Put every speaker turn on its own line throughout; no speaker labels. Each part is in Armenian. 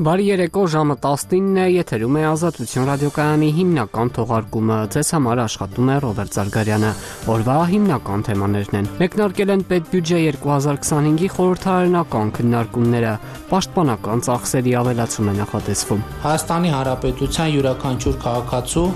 Բարի երեկո, ժամը 19-ն է, եթերում է Ազատություն ռադիոկայանի հիմնական թողարկումը, ձեզ համար աշխատում է Ռոբերտ Զարգարյանը, օրվա հիմնական թեմաներն են. Մեկնարկել են պետբյուջե 2025-ի խորհրդարանական քննարկումները, պաշտպանական ծախսերի ավելացում է նախատեսվում։
Հայաստանի Հանրապետության յուրաքանչյուր քաղաքացու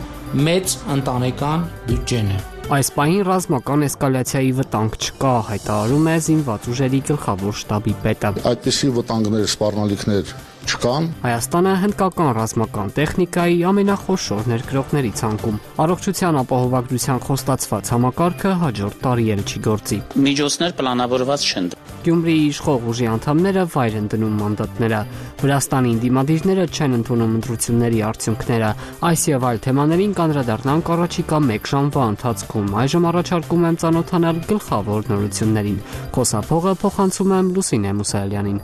մեծ ընտանեկան բյուջեն է։
Այս պահին ռազմական էսկալացիայի վտանգ չկա, հայտարարում է զինված ուժերի գլխավոր շտաբի պետը։
Այդպիսի վտանգներ, սպառնալիքներ չկան։
Հայաստանը հնդկական ռազմական տեխնիկայի ամենախոշոր ներգրողների ցանկում։ Առողջության ապահովագրության խոստացված համակարգը հաջորդ տարի էլ չի գործի։
Միջոցներ պլանավորված չեն։
Գյումրիի իշխող ուժի անդամները վայր են դնում մանդատները։ Վրաստանի դիմադիրները չեն ընդունում ընտրությունների արդյունքները։ Այս եւ այլ թեմաներին կանդրադառնանք առաջիկա 1 ժամվա ընթացքում։ Այժմ առաջարկում եմ ծանոթանալ գլխավոր նորություններին։ Խոսափողը փոխանցում եմ Լուսինե Մուսայելյանին։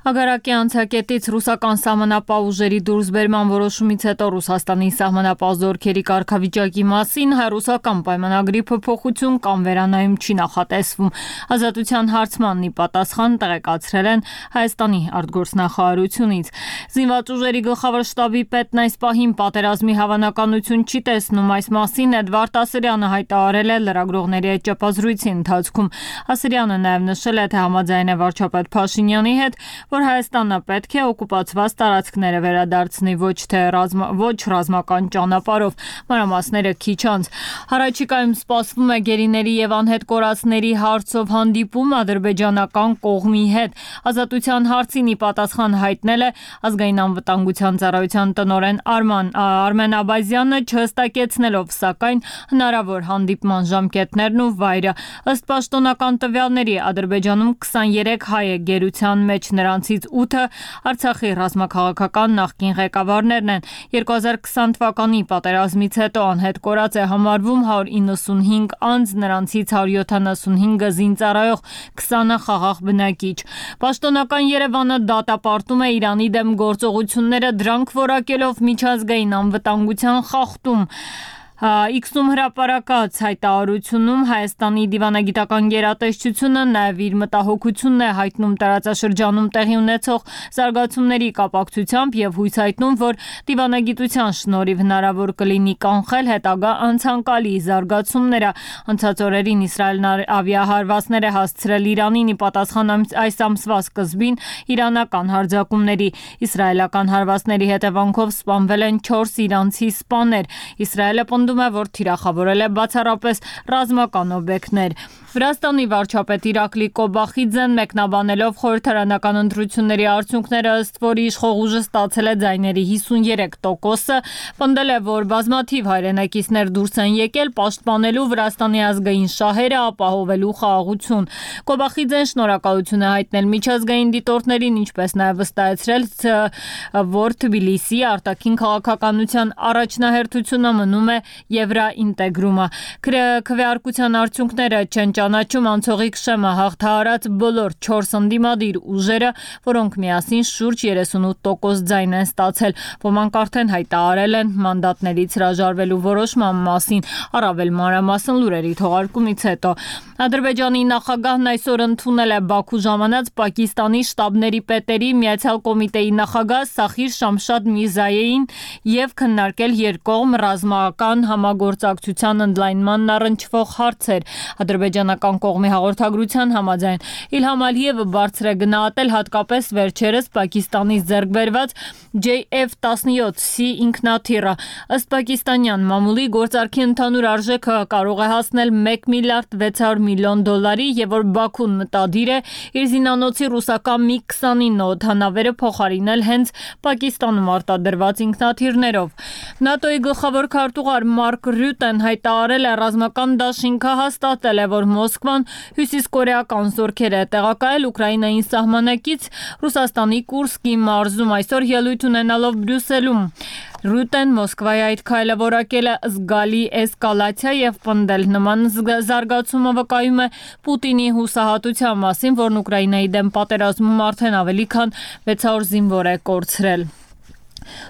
Հակառակի անցակետից ռուսական սահմանապահ ուժերի դուրսբերման որոշումից հետո Ռուսաստանի սահմանապահ զորքերի կարգավիճակի մասին հայ-ռուսական պայմանագրի փոփոխություն կամ վերանայում չի նախատեսվում։ Ազատության հարցմանն ի պատասխան տեղեկացրել են Հայաստանի արտգործնախարարությունից։ Զինված ուժերի գլխավոր շտաբի պետն այս պահին պատերազմի հավանականություն չի տեսնում, այս մասին Էդվարդ Ասրյանը հայտարարել է լրագրողների հետ ճեպազրույցի ընթացքում։ Ասրյանը նաև նշել է, թե համաձայն է վարչապետ Փաշինյանի հետ, որ Հայաստանը պետք է օկուպացված տարածքները վերադարձնի ոչ ռազմական ճանապարհով, մանրամասները քիչ անց։ Հարաճիկայում սպասվում է գերիների եւ անհետ կորածների հարցով հանդիպում ադրբեջանական կողմի հետ։ Ազատության հարցին ի պատասխան հայտնել է ազգային անվտանգության ծառայության տնօրեն Արմեն Աբազյանը, չհստակեցնելով սակայն հնարավոր հանդիպման ժամկետներն ու վայրը։ Ըստ պաշտոնական տվյալների Ադրբեջանում 23 հայ է գերության մեջ, նրանցից 8-ը Արցախի ռազմաքաղաքական նախկին ղեկավարներն են։ 2020 թվականի պատերազմից հետո անհետ կորած է համարվում 195 անձ, նրանցից 175-ը զինծառայող, 20-ը խաղաղ բնակիչ։ Պաշտոնական Երևանը դատապարտում է Իրանի դեմ գործողությունները, դրանք որակելով միջազգային անվտանգության խախտում։ X-ում հրապարակած հայտարարությունում Հայաստանի դիվանագիտական գերատեսչությունը նաև իր մտահոգությունն է հայտնում տարածաշրջանում տեղի ունեցող զարգացումների կապակցությամբ եւ հույս հայտնում, որ դիվանագիտության շնորհիվ հնարավոր կլինի կանխել հետագա անցանկալի զարգացումները։ Անցած օրերին Իսրայելն ավիահարվածներ է հասցրել Իրանին ի պատասխան այս ամսվա սկզբին իրանական հարձակումների։ Իսրայելական հարվածների հետևանքով սպանվել են 4 իրանցի սպաներ։ Իսրայելը պնդում է, որ թիրախավորել է բացառապես ռազմական օբյեկտներ։ Վրաստանի վարչապետ Իրակլի Կոբախիձեն մեկնաբանելով խորհրդարանական ընտրությունների արդյունքները, ըստ որի իշխող ուժը ստացել է ձայների 53%-ը, պնդել է, որ բազմաթիվ հայրենակիցներ դուրս են եկել պաշտպանելու Վրաստանի ազգային շահերը, ապահովելու խաղաղություն։ Կոբախիձեն շնորհակալություն է հայտնել միջազգային դիտորդներին, ինչպես նաև վստահեցրել, որ Թբիլիսիի արտաքին քաղաքականության առաջնահերթությունը մնում է եվրաինտեգրումը։ Քվեարկության արդյունքները չեն ճանաչում անցողիկ շեմը հաղթահարած բոլոր 4 ընդդիմադիր ուժերը, որոնք միասին շուրջ 38% ձայն են ստացել։ Ոմանք արդեն հայտարարել են մանդատներից հրաժարվելու որոշման մասին, առավել մանրամասն լուրերի թողարկումից հետո։ Ադրբեջանի նախագահն այսօր ընդունել է Բաքու ժամանած Պակիստանի շտաբների պետերի Միացյալ կոմիտեի նախագահ Սախիր Շամշադ Միրզայեին եւ քննարկել երկկողմ ռազմական համագործակցության ընդլայնմանն առնչվող հարցեր։ Ադրբեջանական կողմի հաղորդագրության համաձայն Իլհամ Ալիևը բարձր է գնահատել հատկապես վերջերս Պակիստանից ձեռք բերված JF-17C ինքնաթիռը։ Ըստ պակիստանյան մամուլի գործարքի ընդհանուր արժեքը կարող է հասնել $1 միլիարդ 600 միլիոն եւ որ Բաքուն մտադիր է իր զինանոցի ռուսական MiG-29 օդանավերը փոխարինել հենց Պակիստանում արտադրված ինքնաթիռներով։ ՆԱՏՕ-ի գլխավոր քարտուղար Մարկ Ռյուտեն հայտարարել է ռազմական դաշինքը հաստատել է, որ Մոսկվան հյուսիսկորեական զորքեր է տեղակայել Ուկրաինային սահմանակից Ռուսաստանի Կուրսկի մարզում, այսօր ելույթ ունենալով Բրյուսելում։ Ռյուտեն Մոսկվայի այդ քայլը որակել է զգալի էսկալացիա եւ պնդել նման զարգացումը վկայում է Պուտինի հուսահատության մասին, որն Ուկրաինայի դեմ պատերազմում արդեն ավելի քան 600 զինվոր է կորցրել։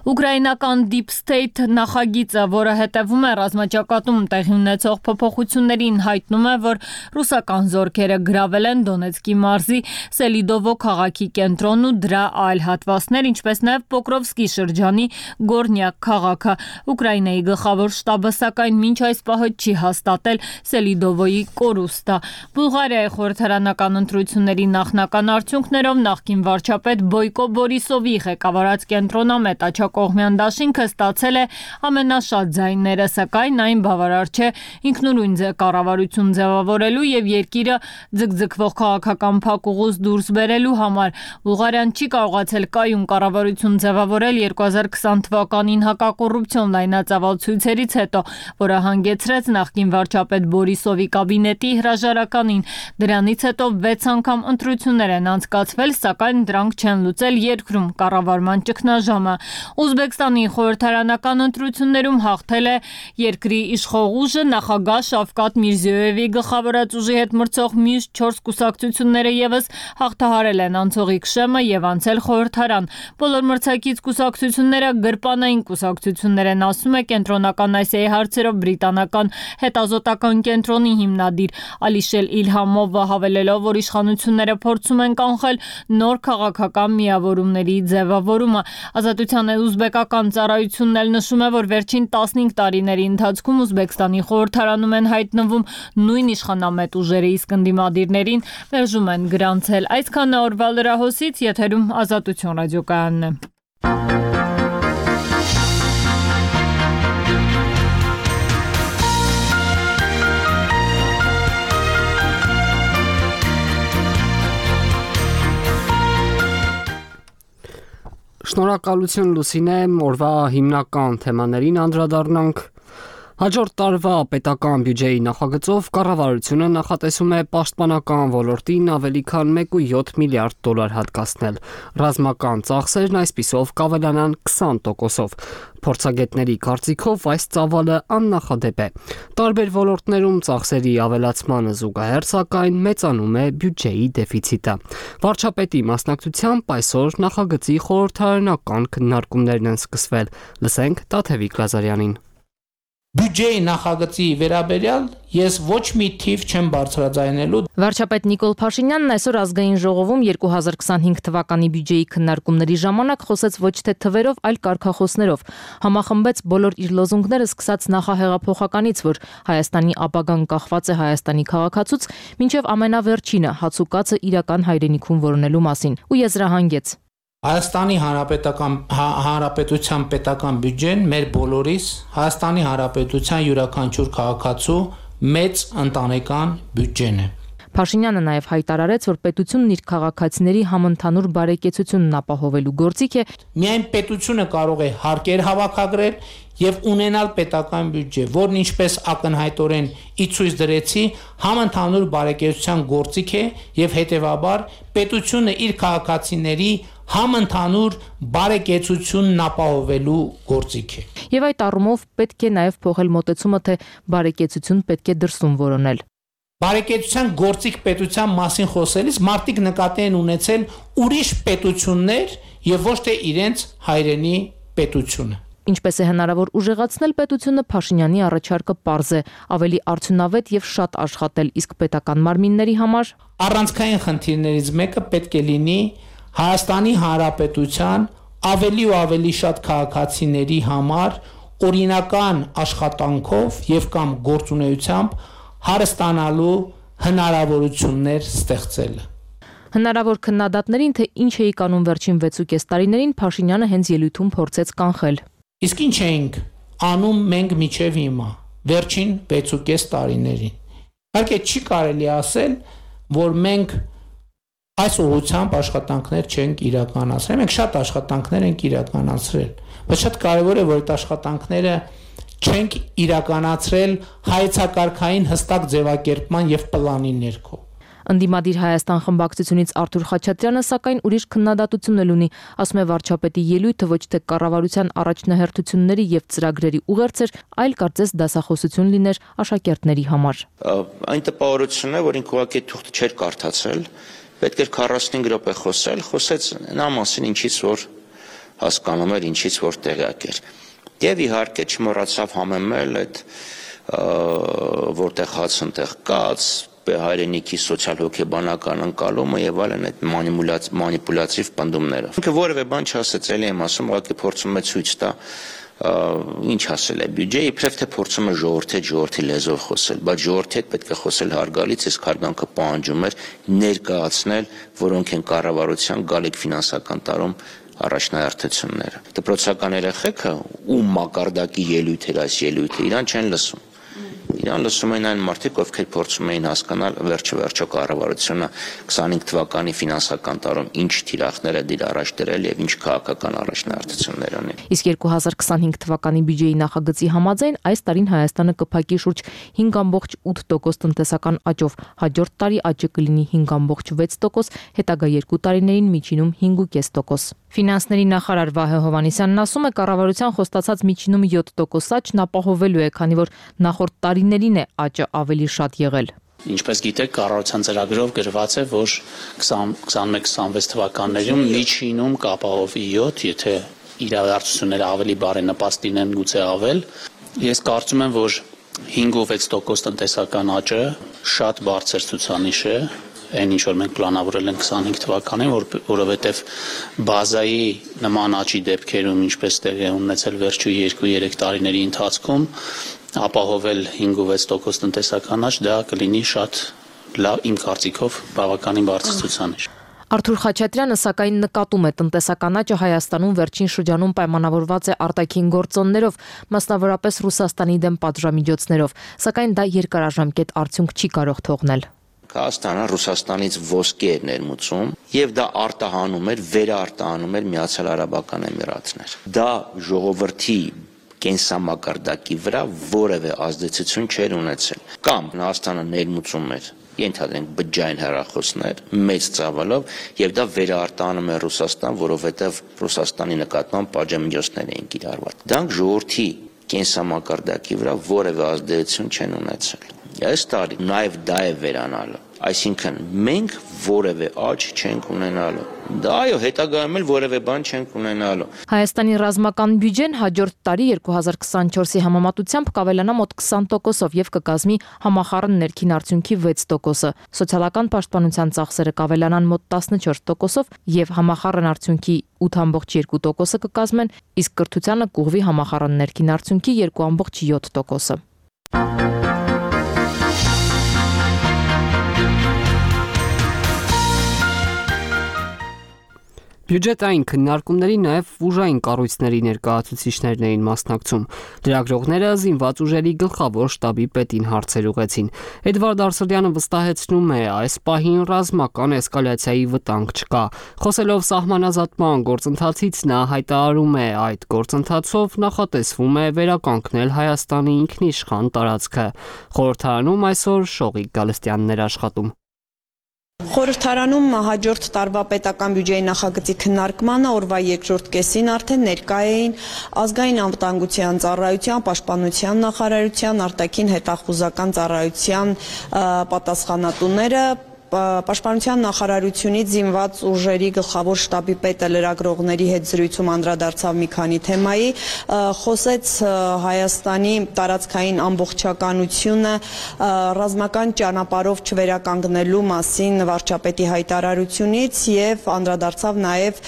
Ուկրաինական Deep State նախագիծը, որը հետևում է ռազմաճակատում տեղի ունեցող փոփոխություններին, հայտնում է, որ ռուսական զորքերը գրավել են Դոնեցկի մարզի Սելիդովո քաղաքի կենտրոնն ու դրա այլ հատվածներ, ինչպես նաև Պոկրովսկի շրջանի Գորնյակ քաղաքը։ Ուկրաինայի գլխավոր շտաբը սակայն մինչ այս պահը չի հաստատել Սելիդովոյի կորուստը։ Բուլղարիայի խորհրդարանական ընտրությունների նախնական արդյունքներով նախկին վարչապետ Բոյկո Բորիսովի ղեկավարած կենտրոնամետ աջակողմյան դաշինքը ստացել է ամենաշատ ձայները, սակայն այն բավարար չէ ինքնուրույն կառավարություն ձևավորելու եւ երկիրը ձգձգվող քաղաքական փակուղուց դուրս բերելու համար։ Բուլղարիան չի կարողացել կայուն կառավարություն ձևավորել 2020 թվականին հակակոռուպցիոն լայնածավալ ցույցերից հետո, որը հանգեցրեց նախկին վարչապետ Բորիսովի կաբինետի հրաժարականին։ Դրանից հետո 6 անգամ ընտրություններ են անցկացվել, սակայն դրանք չեն լուծել երկրում կառավարման ճգնաժամը։ Ուզբեկստանի խորհրդարանական ընտրություններում հաղթել է երկրի իշխող ուժը, նախագահ Շավկաթ Միրզիոյևի գլխավորած ուժի հետ մրցող մյուս 4 կուսակցությունները եւս հաղթահարել են անցողիկ շեմը եւ անցել խորհրդարան։ Բոլոր մրցակից կուսակցությունները գրպանային կուսակցություններ են, ասում է Կենտրոնական Ասիայի հարցերով բրիտանական հետազոտական կենտրոնի հիմնադիր Ալիշել Իլհամովը, հավելելով, որ իշխանությունները փորձում են կանխել նոր քաղաքական միավորումների ձևավորումը։ Ազատության ուզբեկական ծառայությունն էլ նշում է, որ վերջին 15 տարիների ընթացքում Ուզբեկստանի խորհրդարանում են հայտնվում նույն իշխանամետ ուժերը, իսկ ընդդիմադիրներին մերժում են գրանցել։ Այսքանը օրվա լրահոսից, եթերում Ազատություն ռադիոկայանն է։
Շնորհակալություն Լուսինե, օրվա հիմնական թեմաներին անդրադառնանք։ Հաջորդ տարվա պետական բյուջեի նախագծով կառավարությունը նախատեսում է պաշտպանական ոլորտին ավելի քան 1.7 միլիարդ դոլար հատկացնել։ Ռազմական ծախսերն այսպիսով կավելանան 20%-ով։ Փորձագետների կարծիքով այս ծավալը աննախադեպ է։ Տարբեր ոլորտներում ծախսերի ավելացմանը զուգահեռ, սակայն մեծանում է բյուջեի դեֆիցիտը։ Վարչապետի մասնակցությամբ այսօր նախագծի խորհրդարանական քննարկումներն են սկսվել։ Լսենք Տաթևիկ Լազարյանին։
Բյուջեի նախագծի վերաբերյալ ես ոչ մի թիվ չեմ բարձրաձայնելու։
Վարչապետ Նիկոլ Փաշինյանն այսօր ազգային ժողովում 2025 թվականի բյուջեի քննարկումների ժամանակ խոսեց ոչ թե թվերով, այլ կարգախոսներով։ Համախմբեց բոլոր իր լոզունգները, սկսած նախահեղափոխականից, որ Հայաստանի ապագան կախված է Հայաստանի քաղաքացուց, մինչև ամենավերջինը հացուկացը իրական հայրենիքում որոնելու մասին, ու եզրահանգեց.
Հայաստանի Հանրապետության պետական բյուջեն մեր բոլորիս, Հայաստանի Հանրապետության յուրաքանչյուր քաղաքացու մեծ ընտանեկան բյուջեն է։
Փաշինյանը նաև հայտարարեց, որ պետությունն իր քաղաքացիների համընդհանուր բարեկեցությունն ապահովելու գործիք է։
Միայն պետությունը կարող է հարկեր հավաքագրել եւ ունենալ պետական բյուջե, որն ինչպես ակնհայտորեն ի ցույց դրեցի, համընդհանուր բարեկեցության գործիք է եւ հետեւաբար պետությունը իր քաղաքացիների համընդհանուր բարեկեցությունն ապահովելու գործիք է։
Եվ այդ առումով պետք է նաև փոխել մոտեցումը, թե բարեկեցություն պետք է դրսում որոնել։
Բարեկեցության գործիք պետության մասին խոսելիս մարդիկ նկատի են ունեցել ուրիշ պետություններ եւ ոչ թե իրենց հայրենի պետությունը։
Ինչպես է հնարավոր ուժեղացնել պետությունը, Փաշինյանի առաջարկը պարզ է, ավելի արդյունավետ եւ շատ աշխատել, իսկ պետական մարմինների համար
առանցքային խնդիրներից մեկը պետք է լինի Հայաստանի Հանրապետության ավելի ու ավելի շատ քաղաքացիների համար օրինական աշխատանքով եւ կամ գործունեությամբ հարստանալու հնարավորություններ ստեղծելը։
Հնարավոր քննադատներին, թե ինչ էի կանոն վերջին 6.5 տարիներին, Փաշինյանը հենց ելույթում փորձեց կանխել։
Իսկ ինչ էինք անում մենք միջև հիմա, վերջին 6.5 տարիներին։ Իհարկե չի կարելի ասել, որ մենք այս ուղղությամբ աշխատանքներ չենք իրականացրել։ Մենք շատ աշխատանքներ ենք իրականացրել, բայց շատ կարևոր է, որ այդ աշխատանքները չենք իրականացրել հայեցակարգային հստակ ձևակերպման եւ պլանի ներքո։
Ընդդիմադիր Հայաստան խմբակցությունից Արթուր Խաչատրյանը սակայն ուրիշ քննադատություն ունի, ասում է վարչապետի ելույթը ոչ թե կառավարության առաջնահերթությունների եւ ծրագրերի ուղերձ էր, այլ կարծես դասախոսություն լիներ աշակերտների համար։
Այն տպավորությունն է, որ ինքը ուղղակի թուղթը չէր կարդացել, պետք էր 45 րոպե խոսել, խոսեց նա մասին, ինչից որ հասկանում էր ինչից որ տեղյակ էր։ Եվ իհարկե չմոռացավ համեմել այդ որտեղ հաց ընտեղ կաց, հայրենիքի սոցիալ-հոգեբանական ընկալումը եւ այլն այդ մանիպուլյատիվ պնդումները։ Ինքը որևէ բան չասեց, էլի եմ ասում, ուղղակի փորձում է ցույց տա ինչ ասել է բյուջեի, իբրև թե փորձում է ժողովրդի լեզվով խոսել, բայց ժողովրդի հետ պետք է խոսել հարգալից, իսկ հարգանքը պահանջում էր ներկայացնել, որոնք են կառավարության գալիք ֆինանսական տարում առաջնահերթությունները։ Դպրոցական երեխեքը ում մակարդակի ելույթ էր այս ելույթը, իրան չեն լսում։ Իրան լսում են այն մարդիկ, ովքեր փորձում էին հասկանալ վերջո կառավարությունը 25 թվականի ֆինանսական տարում ինչ թիրախներ է դիր առաջ դրել եւ ինչ քաղաքական առաջնահերթություններ ունի։
Իսկ 2025 թվականի բյուջեի նախագծի համաձայն այս տարին Հայաստանը կփակի շուրջ 5.8% տնտեսական աճով, հաջորդ տարի աճը կլինի 5.6%, հետագա 2 տարիներին միջինում 5.5%։ Ֆինանսների նախարար Վահե Հովհաննիսյանն ասում է, կառավարության խոստացած միջինում 7% աճն ապահովելու է, քանի որ նախորդ տարիներին է աճը ավելի շատ եղել։
Ինչպես գիտեք, կառավարության ծրագրով գրված է, որ 21-26 թվականներում միջինում կապահովի 7, եթե իրադարձությունները ավելի բարենպաստ լինեն, գուցե ավել։ Ես կարծում եմ, որ 5.6% տնտեսական աճը շատ բարձր ցուցանիշ է, այն ինչ որ մենք պլանավորել ենք 25 թվականին, որովհետև բազայի նման աճի դեպքերում, ինչպես տեղի է ունեցել վերջու 2-3 տարիների ընթացքում, ապահովել 5.6% տնտեսական աճ, դա կլինի շատ լավ, իմ կարծիքով բավականին բարձր ցուցանիշ։
Արթուր Խաչատրյանը սակայն նկատում է տնտեսական աճը Հայաստանում վերջին շրջանում պայմանավորված է արտաքին գործոններով, մասնավորապես Ռուսաստանի դեմ պատժամիջոցներով, սակայն դա երկարաժամկետ արդյունք չի կարող թողնել։
Հայաստանը Ռուսաստանից ոսկի էր ներմուծում եւ դա արտահանում էր, վերարտահանում էր Միացյալ Արաբական Էմիրատներ։ Դա ժողովրդի կենսամակարդակի վրա որևէ ազդեցություն չէր ունեցել։ Կամ Հայաստանը ներմուծում էր, ենթադրենք բջջային հեռախոսներ մեծ ծավալով եւ դա վերարտահանում է Ռուսաստան, որովհետեւ Ռուսաստանի նկատմամբ պատժամիջոցներ էին կիրառված։ Դրանք ժողովրդի կենսամակարդակի վրա որևէ ազդեցություն չեն ունեցել։ Այս տարի նաև դա է վերանալը, այսինքն մենք որևէ աճ չենք ունենալու, դա այո հետագայում էլ որևէ բան չենք ունենալու։
Հայաստանի ռազմական բյուջեն հաջորդ տարի 2024-ի համեմատությամբ կավելանա մոտ 20%-ով եւ կկազմի համախառն ներքին արդյունքի 6%-ը, սոցիալական պաշտպանության ծախսերը կավելանան մոտ 14%-ով եւ համախառն արդյունքի 8.2%-ը կկազմեն, իսկ կրթությանը կուղվի համախառն ներքին արդյունքի 2.7%-ը։
Բյուջետային քննարկումների նաև ուժային կառույցների ներկայացուցիչներն էին մասնակցում։ Լրագրողները զինված ուժերի գլխավոր շտաբի պետին հարցեր ուղղեցին։ Էդվարդ Արսլյանը վստահեցնում է, այս պահին ռազմական էսկալացիայի վտանգ չկա։ Խոսելով սահմանազատման գործընթացից նա հայտարարում է, այդ գործընթացով նախատեսվում է վերականգնել Հայաստանի ինքնիշխան տարածքը։ Խորհրդարանում այսօր Շողիկ Գալստյանն էր աշխատում։
Խորհրդարանում հաջորդ տարվա պետական բյուջեի նախագծի քննարկմանը օրվա երկրորդ կեսին արդեն ներկա էին ազգային անվտանգության ծառայության, պաշտպանության նախարարության, արտաքին հետախուզական ծառայության պատասխանատուները, Պաշտպանության նախարարությունից զինված ուժերի գլխավոր շտաբի պետը լրագրողների հետ զրույցում անդրադարձավ մի քանի թեմայի, խոսեց Հայաստանի տարածքային ամբողջականությունը ռազմական ճանապարհով չվերականգնելու մասին վարչապետի հայտարարությունից եւ անդրադարձավ նաեւ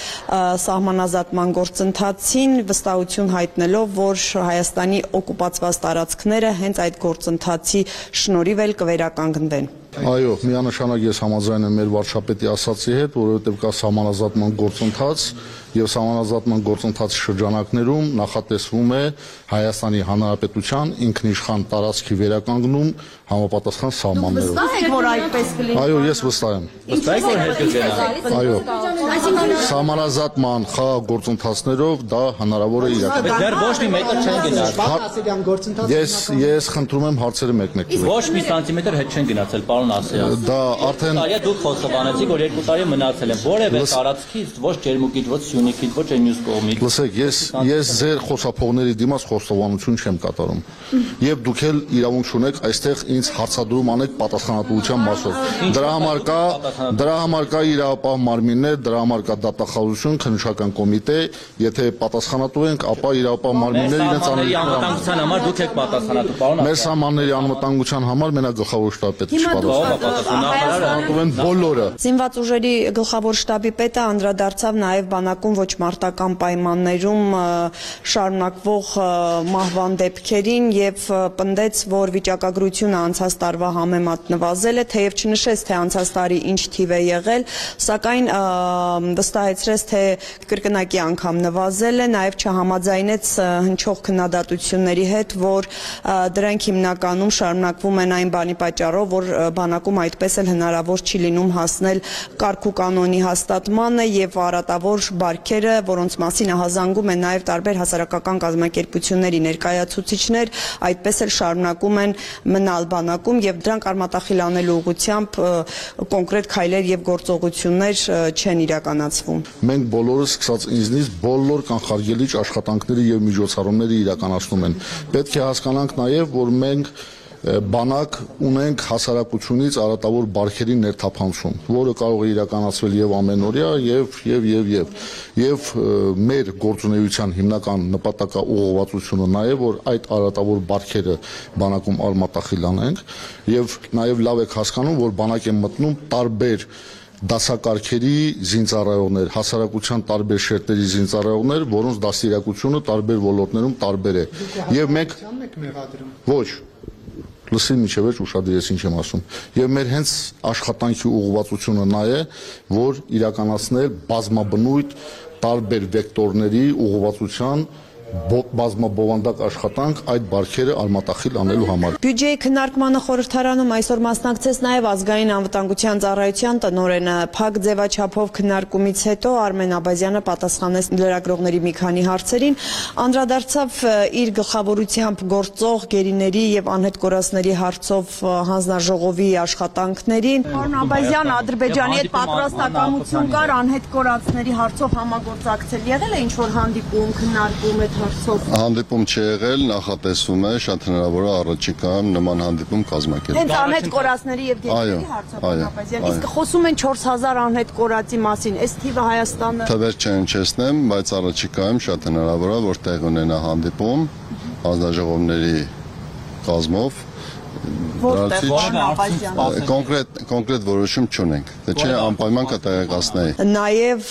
սահմանազատման գործընթացին, վստահություն հայտնելով, որ Հայաստանի օկուպացված տարածքները հենց այդ գործընթացի շնորհիվ էլ կվերականգնվեն։
Այո, միանշանակ ես համաձայն եմ մեր վարչապետի ասացի հետ, որովհետև կա սահմանազատման գործընթաց եւ սահմանազատման գործընթացի շրջանակներում նախատեսվում է Հայաստանի Հանրապետության ինքնիշխան տարածքի վերականգնում համապատասխան սահմաններով։
Վստահ եք, որ այդպես կլինի։
Այո, ես վստահ եմ։
Վստահ եք, որ հետ կգնա։
Այո։ Սահմանազատման խաղ գործընթացներով դա հնարավոր է իրականացնել։
Դեռ ոչ մի մետր չեն գնացել։
Ես խնդրում եմ հարցերը մեկմեկել։
Ոչ մի սանտիմետր հետ չեն գնացել, պարոն
պարոն Ասիյան։
Դա արդեն
դուք խոստովանեցիք, որ 2 տարի մնացել են։ Որևէ տարածքից, ոչ Ջերմուկից, ոչ Սյունիքից, ոչ մյուս կողմից։
Լսեք, ես ձեր խոսափողների դիմաց խոստովանություն չեմ կատարում։ Եվ դուք էլ իրավունք ունեք այստեղ ինձ հարցադրում անեք պատասխանատվության մասով։ Դրա համար կա իրավապահ մարմիններ, դրա համար կա դատախազություն, քննչական կոմիտե, եթե պատասխանատու ենք, ապա իրավապահ մարմինները իրենց
անվտանգության համար դուք եք պատասխանատու, պարոն Ասիյան։
Մեր սահմանների անվտանգության համար մենակ գլխավոր շտաբի պետը
պատասխանատու
են բոլորը։
Զինված ուժերի գլխավոր շտաբի պետը անդրադարձավ նաև բանակում ոչ մարտական պայմաններում շարունակվող մահվան դեպքերին եւ պնդեց, որ վիճակագրությունը անցած տարվա համեմատ նվազել է, թեև չնշեց, թե անցած տարի ինչ թիվ է եղել, սակայն վստահեցրեց, թե կրկնակի անգամ նվազել է, նաև չհամաձայնեց հնչող քննադատությունների հետ, որ դրանք հիմնականում շարունակվում են այն բանի պատճառով, որ բանակում այդպես էլ հնարավոր չի լինում հասնել կարգ ու կանոնի հաստատմանը եւ առատավոր բարքերը, որոնց մասին ահազանգում են նաև տարբեր հասարակական կազմակերպությունների ներկայացուցիչներ, այդպես էլ շարունակում են մնալ բանակում եւ դրանք արմատախիլ անելու ուղղությամբ կոնկրետ քայլեր եւ գործողություններ չեն իրականացվում։
Մենք բոլորս սկսած ինձնից բոլոր կանխարգելիչ աշխատանքների եւ միջոցառումները իրականացնում են։ Պետք է հասկանանք նաև, որ մենք բանակ ունենք հասարակությունից առատավոր բարքերի ներթափանցում, որը կարող է իրականացվել եւ ամենօրյա եւ մեր գործունեության հիմնական նպատակը ուղղվածությունը նաեւ որ այդ առատավոր բարքերը բանակում արմատախիլ անենք եւ նաեւ լավ եք հասկանում, որ բանակ են մտնում տարբեր դասակարգերի զինծառայողներ, հասարակության տարբեր շերտերի զինծառայողներ, որոնց դաստիարակությունը տարբեր ոլորտներում տարբեր է։ Եվ մենք ոչ լսին միջև էր ուշադրես ինչ եմ ասում։ Եվ մեր հենց աշխատանքի ուղղվածությունը նա է, որ իրականացնել բազմաբնույթ տարբեր վեկտորների ուղղվածության բազմաբովանդակ աշխատանք այդ բարքերը արմատախիլ անելու համար։
Բյուջեի քննարկմանը խորհրդարանում այսօր մասնակցեց նաև ազգային անվտանգության ծառայության տնօրենը։ Փակ ձևաչափով քննարկումից հետո Արմեն Աբազյանը պատասխանեց լրագրողների մի քանի հարցերին, անդրադարձավ իր գլխավորությամբ գործող գերիների եւ անհետ կորածների հարցով հանձնաժողովի աշխատանքներին։ Պարոն Աբազյան, Ադրբեջանի հետ պատրաստակամություն կար անհետ կորածների հարցով համագործակցել։ Եղել է ինչ որ հանդիպում, քննարկում այդ հարցով։
Հանդիպում չի եղել, նախատեսվում է շատ հնարավոր է առաջիկայում նման հանդիպում կազմակերպել։
Հենց անհետ կորածների եւ գերիների հարցով Աբազյան, իսկ խոսում են 4000 անհետ կորածի մասին, այս թիվը Հայաստանը
թվեր չհնչեցնեմ, բայց առաջիկայում շատ հնարավոր է որ տեղ ունենա հանդիպում հանձնաժողովների կազմով կոնկրետ որոշում չունենք, թե չէ անպայման կտեղեկացնեի։
Նաև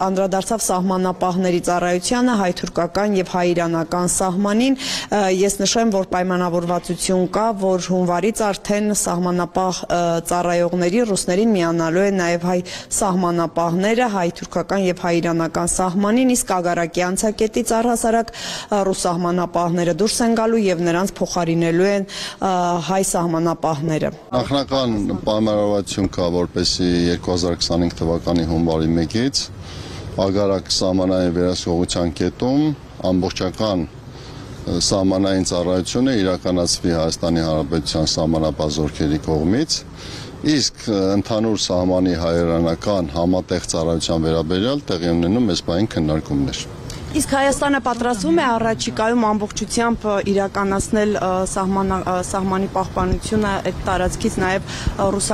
անդրադարձավ սահմանապահների ծառայությանը, հայ-թուրքական եւ հայ-իրանական սահմանին։ Ես նշեմ, որ պայմանավորվածություն կա, որ հունվարից արդեն սահմանապահ ծառայողների ռուսներին միանալու են նաև հայ սահմանապահները հայ-թուրքական եւ հայ-իրանական սահմանին, իսկ Ագարակի անցակետից առհասարակ ռուս սահմանապահները դուրս են գալու եւ նրանց փոխարինելու են հայ սահմանապահները։
Նախնական պայմանավորվածություն կա, որպեսզի 2025 թվականի հունվարի 1-ից Ագարակ սահմանային վերահսկողության կետում ամբողջական սահմանային ծառայությունը իրականացվի Հայաստանի Հանրապետության սահմանապահ զորքերի կողմից, իսկ ընդհանուր սահմանի հայերանական համատեղ ծառայության վերաբերյալ տեղի ունենում այս բային քննարկումներ։
Իսկ Հայաստանը պատրաստվում է առաջիկայում ամբողջությամբ իրականացնել սահմանի պահպանությունը այդ տարածքից նաև ռուս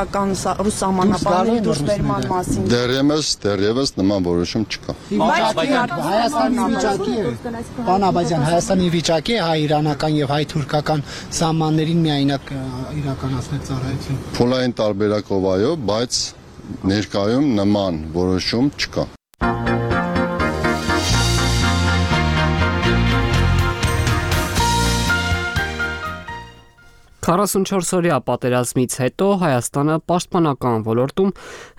սահմանապահների դուրսբերման մասին։
Դեռևս նման որոշում չկա։
Պարոն Աբազյան, Հայաստանի վիճակի է հայ-իրանական եւ հայ-թուրքական սահմաններին միայնակ իրականացնել ծառայություն։
Փուլային տարբերակով այո, բայց ներկայում նման որոշում չկա։
44-օրյա պատերազմից հետո Հայաստանը պաշտպանական ոլորտում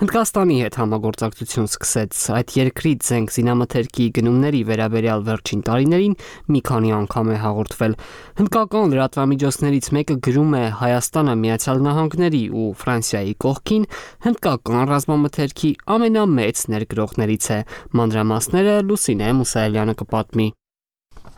Հնդկաստանի հետ համագործակցություն սկսեց։ Այդ երկրի զենք զինամթերքի գնումների վերաբերյալ վերջին տարիներին մի քանի անգամ է հաղորդվել։ Հնդկական լրատվամիջոցներից մեկը գրում է Հայաստանը Միացյալ Նահանգների ու Ֆրանսիայի կողքին հնդկական ռազմամթերքի ամենամեծ ներգրողներից է։ Մանրամասները Լուսինե Մուսայելյանը կպատմի։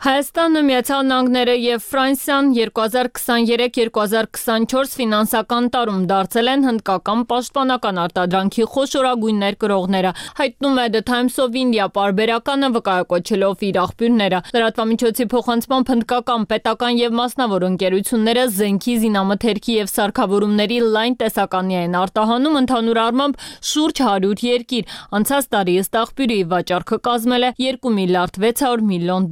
Հայաստանը, Միացյալ Նահանգները եւ Ֆրանսիան 2023-2024 ֆինանսական տարում դարձել են հնդկական պաշտպանական արտադրանքի խոշորագույն ներկրողները, հայտնում է The Times of India պարբերականը վկայակոչելով իր աղբյուրները։ Լրատվամիջոցի փոխանցմամբ հնդկական պետական եւ մասնավոր ընկերությունները զենքի, զինամթերքի եւ սարքավորումների լայն տեսականի են արտահանում ընդհանուր առմամբ շուրջ 100 երկիր։ Անցած տարի ըստ աղբյուրի վաճառքը կազմել է $2 միլիարդ 600 միլիոն։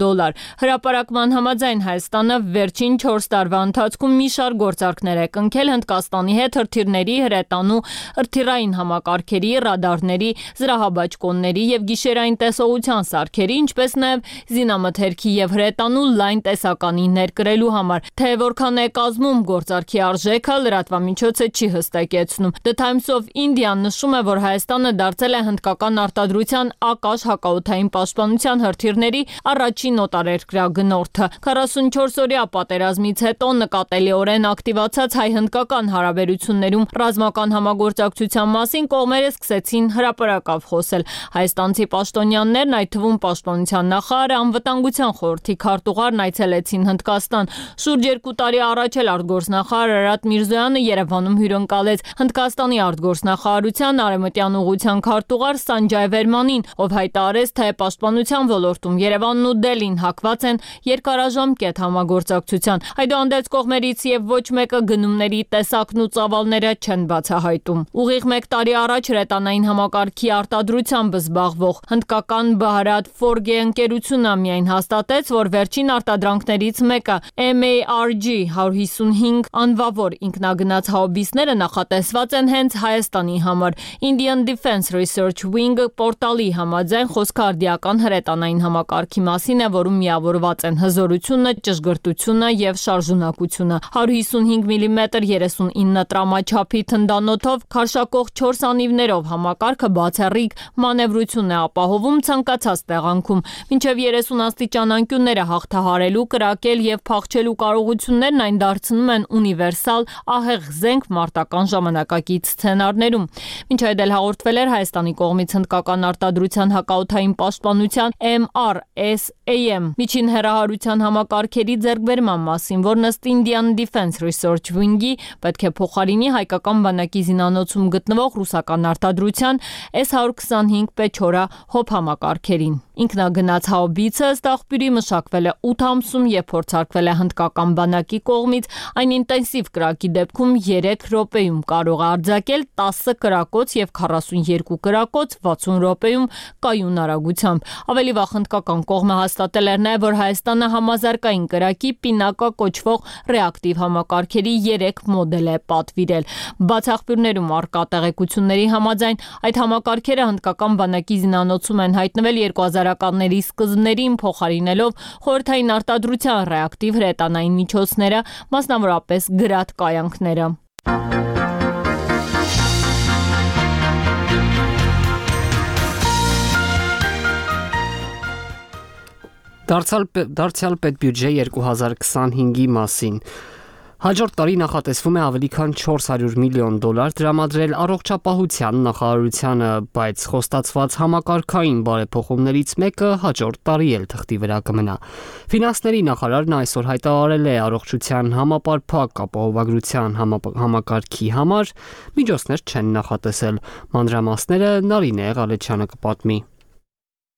Հրապարակման համաձայն Հայաստանը վերջին 4 տարվա ընթացքում մի շարք գործարքներ է կնքել Հնդկաստանի հետ հրթիռների, հրետանու, հրթիռային համակարգերի, ռադարների, զրահաբաճկոնների եւ գիշերային տեսողության սարքերի, ինչպես նաեւ զինամթերքի եւ հրետանու լայն տեսականի ներկրելու համար։ Թե որքան է կազմում գործարքի արժեքը, լրատվամիջոցը չի հստակեցնում։ The Times of India նշում է, որ Հայաստանը դարձել է հնդկական արտադրության ակաշ հակաօդային պաշտպանության հրթիռների առաջին օտարերկրագնորդը։ 44-օրյա պատերազմից հետո նկատելիորեն ակտիվացած հայ-հնդկական հարաբերություններում ռազմական համագործակցության մասին կողմերը սկսեցին հրապարակավ խոսել։ Հայաստանցի պաշտոնյաներն, այդ թվում պաշտպանության նախարարը, անվտանգության խորհրդի քարտուղարն այցելեցին Հնդկաստան։ Շուրջ 2 տարի առաջ էլ արտգործնախարար Արարատ Միրզոյանը Երևանում հյուրընկալեց Հնդկաստանի արտգործնախարարության արևմտյան ուղղության քարտուղար Սանջայ Վերմանին, ով հայտարարեց, թե պաշտպանության ոլորտում Երևանն ու Դելին հակված են երկարաժամկետ համագործակցության։ Այդուհանդերձ կողմերից եւ ոչ մեկը գնումների տեսակն ու ծավալները չեն բացահայտում։ Ուղիղ 1 տարի առաջ հրետանային համակարգի արտադրությամբ զբաղվող հնդկական Bharat Forge ընկերությունը միայն հաստատեց, որ վերջին արտադրանքներից մեկը MARG 155 անվավոր ինքնագնաց հաուբիսները նախատեսված են հենց Հայաստանի համար։ Indian Defense Research Wing պորտալի համաձայն խոսքարդիական հրետանային համակարգի մասին է, որում միավորված են հզորությունը, ճշգրտությունը եւ շարժունակությունը։ 155 մմ 39 տրամաչափի թնդանոթով քարշակող 4 անիվներով համակարգը բացառիկ մանևրություն է ապահովում ցանկացած տեղանքում։ Մինչև 30 աստիճան անկյունները հաղթահարելու, կրակել եւ փախչելու կարողություններն այն դարձնում են ունիվերսալ ահեղ զենք մարտական ժամանակակից սցենարներում։ Մինչ այդ էլ հաղորդվել էր Հայաստանի կողմից հնդկական արտադրության հակաօդային պաշտպանության MRSAM միջին հեռահարության համակարգերի ձեռքբերման մասին, որն ըստ Indian Defense Research Wing-ի պետք է փոխարինի հայկական բանակի զինանոցում գտնվող ռուսական արտադրության S-125 Pechora հոբ համակարգերին։ Ինքնագնաց հաուբիցը ըստ աղբյուրի մշակվել է 8 ամսում եւ փորձարկվել է հնդկական բանակի կողմից։ Այն ինտենսիվ կրակի դեպքում 3 րոպեում կարող է արձակել 10 կրակոց եւ 42 կրակոց 60 րոպեում կայուն արագությամբ։ Ավելի վաղ հնդկական կողմը հաստատել էր նաեւ, որ Հայաստանը համազարգային կրակի պինակա կոչվող ռեակտիվ համակարգերի 3 մոդել է պատվիրել։ Բաց աղբյուրներում առկա տեղեկությունների համաձայն այդ համակարգերը հնդկական բանակի զինանոցում են հայտնվել 2000-ականների սկզբներին, փոխարինելով խորհրդային արտադրության ռեակտիվ հրետանային միջոցները, մասնավորապես գրադ կայանքները։
Դարձյալ պետբյուջե 2025-ի մասին։ Հաջորդ տարի նախատեսվում է ավելի քան $400 միլիոն տրամադրել առողջապահության նախարարությանը, բայց խոստացված համակարգային բարեփոխումներից մեկը հաջորդ տարի էլ թղթի վրա կմնա։ Ֆինանսների նախարարն այսօր հայտարարել է առողջության համապարփակ ապահովագրության համակարգի համար միջոցներ չեն նախատեսել։ Մանրամասները Նարինե Ղալեչյանը կպատմի։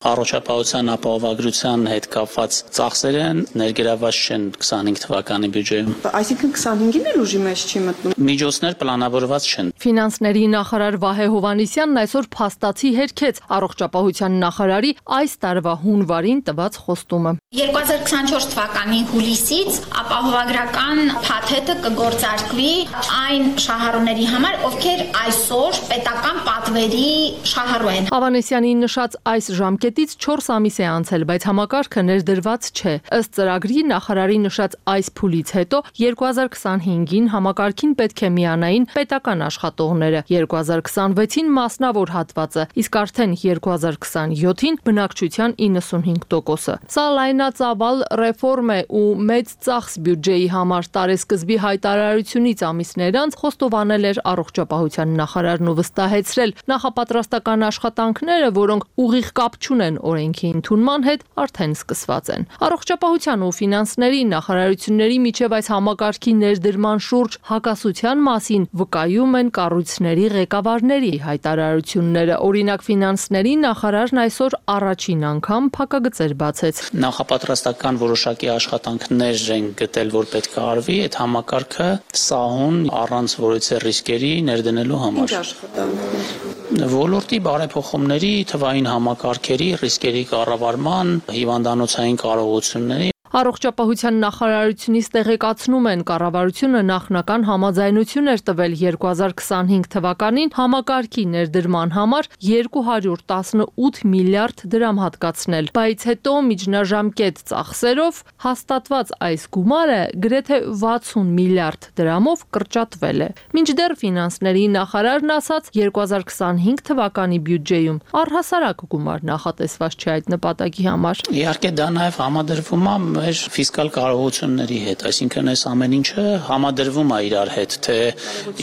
Առողջապահության ապահովագրության հետ կապված ծախսերը ներգրավված չեն 25 թվականի բյուջեում։
Այսինքն 25-ին էլ ուժի մեջ չի մտնում։
Միջոցներ պլանավորված չեն։
Ֆինանսների նախարար Վահե Հովհաննիսյանն այսօր փաստացի հերքեց առողջապահության նախարարի այս տարվա հունվարին տված խոստումը։
2024 թվականի հուլիսից ապահովագրական փաթեթը կգործարկվի այն շահառուների համար, ովքեր այսօր պետական պատվերի շահառու են։
Հովհաննիսյանի նշած այս ժամկետից 4 ամիս է անցել, բայց համակարգը ներդրված չէ։ Ըստ ծրագրի նախարարի նշած այս փուլից հետո 2025-ին համակարգին պետք է միանային պետական աշխատողները, 2026-ին մասնավոր հատվածը, իսկ արդեն 2027-ին բնակչության 95%-ը։ Սա լայնածավալ ռեֆորմ է ու մեծ ծախս բյուջեի համար տարեսկզբի հայտարարությունից ամիսներ անց խոստովանել էր առողջապահության նախարարն ու վստահեցրել նախապատրաստական աշխատանքները, որոնք ուղիղ կապ չունեն չունեն օրենքի ընդունման հետ, արդեն սկսված են։ Առողջապահության ու ֆինանսների նախարարությունների միջև այս համակարգի ներդրման շուրջ հակասության մասին վկայում են կառույցների ղեկավարների հայտարարությունները։ Օրինակ ֆինանսների նախարարն այսօր առաջին անգամ փակագծեր բացեց։
Նախապատրաստական որոշակի աշխատանքներ են գտել, որ պետք է արվի այդ համակարգը սահուն առանց որևէ ռիսկերի ներդնելու համար։
Ինչ աշխատանքներ։
Ոլորտի բարեփոխումների, թվային համակարգերի, ռիսկերի կառավարման, հիվանդանոցային կարողությունների
Առողջապահության նախարարությունից տեղեկացնում են, կառավարությունը նախնական համաձայնություն էր տվել 2025 թվականին համակարգի ներդրման համար 218 միլիարդ դրամ հատկացնել, բայց հետո միջնաժամկետ ծախսերով հաստատված այս գումարը գրեթե 60 միլիարդ դրամով կրճատվել է։ Մինչդեռ ֆինանսների նախարարն ասաց 2025 թվականի բյուջեում առհասարակ գումար նախատեսված չէ այդ նպատակի համար։
Իհարկե դա նաև համադրվում է մեր ֆիսկալ կարողությունների հետ, այսինքն այս ամեն ինչը համադրվում է իրար հետ, թե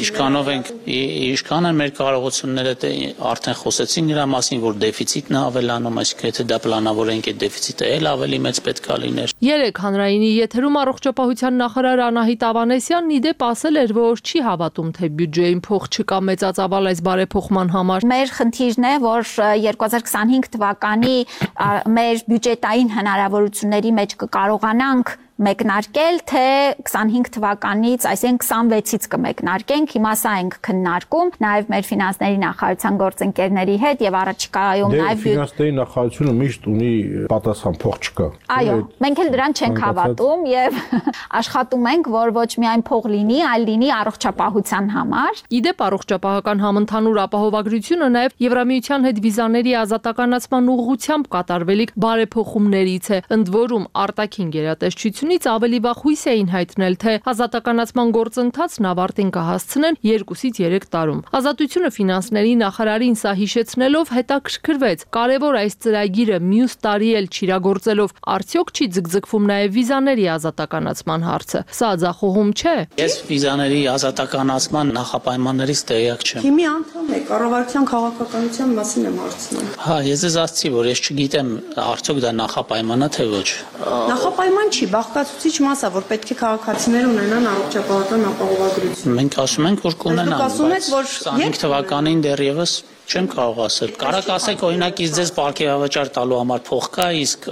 ինչքան են մեր կարողությունները, թե արդեն խոսեցին նրա մասին, որ դեֆիցիտն է ավելանում, այսինքն եթե դա պլանավորենք, այդ դեֆիցիտը էլ ավելի մեծ պետք է լիներ։
Երեք հանրայինի եթերում առողջապահության նախարար Անահիտ Ավանեսյանն իդեպ ասել էր, որ չի հավատում, թե բյուջեին փող չկա մեծածավալ այս բարեփոխման համար։
Մեր խնդիրն է, որ 2025 թվականի մեր բյուջետային հնարավորությունների մեջ կարողանանք մեկնարկել, թե 25 թվականից, այսինքն 26-ից կմեկնարկենք, հիմա սա ենք քննարկում, նաև մեր ֆինանսների նախարարության գործընկերների հետ եւ առաջիկայում նաև
ֆինանսների նախարարությունը միշտ ունի պատասխան, փող չկա։
Այո, մենք էլ դրան չենք հավատում եւ աշխատում ենք, որ ոչ միայն փող լինի, այլ լինի առողջապահության համար։
Իդեպ առողջապահական համընդհանուր ապահովագրությունը նաև Եվրամիության հետ վիզաների ազատականացման ուղղությամբ կատարվելիք բարեփոխումներից է, ընդ որում արտաքին գերատեսչությունից ավելի վաղ հույս էին հայտնել, թե ազատականացման գործընթացն ավարտին կհասցնեն 2-ից 3 տարում։ Ազատությունը ֆինանսների նախարարին սա հիշեցնելով հետաքրքրվեց, կարևոր այս ծրագիրը մյուս տարի էլ չիրագործելով արդյոք չի ձգձգվում նաև վիզաների ազատականացման հարցը։ Սա ձախողում չէ։
Ես վիզաների ազատականացման նախապայմաններից տեղյակ չեմ։
Թիմի անդամ եք, կառավարության քաղաքականության մասին եմ հարցնում։
Հա, ես ձեզ ասացի, որ ես չգիտեմ արդյոք դա նախապայման է թե ոչ։
Նախապայման չի, բաղկացուցիչ մաս է, որ պետք է քաղաքացիները ունենան առողջապահական ապահովագրություն։
Մենք ասում ենք, որ կունենան,
Դուք ասում եք, որ
25 թվականին դեռևս չեմ կարող ասել։ Կարակ ասեք, օրինակ, իսկ ձեզ պարգևավճար տալու համար փող կա, իսկ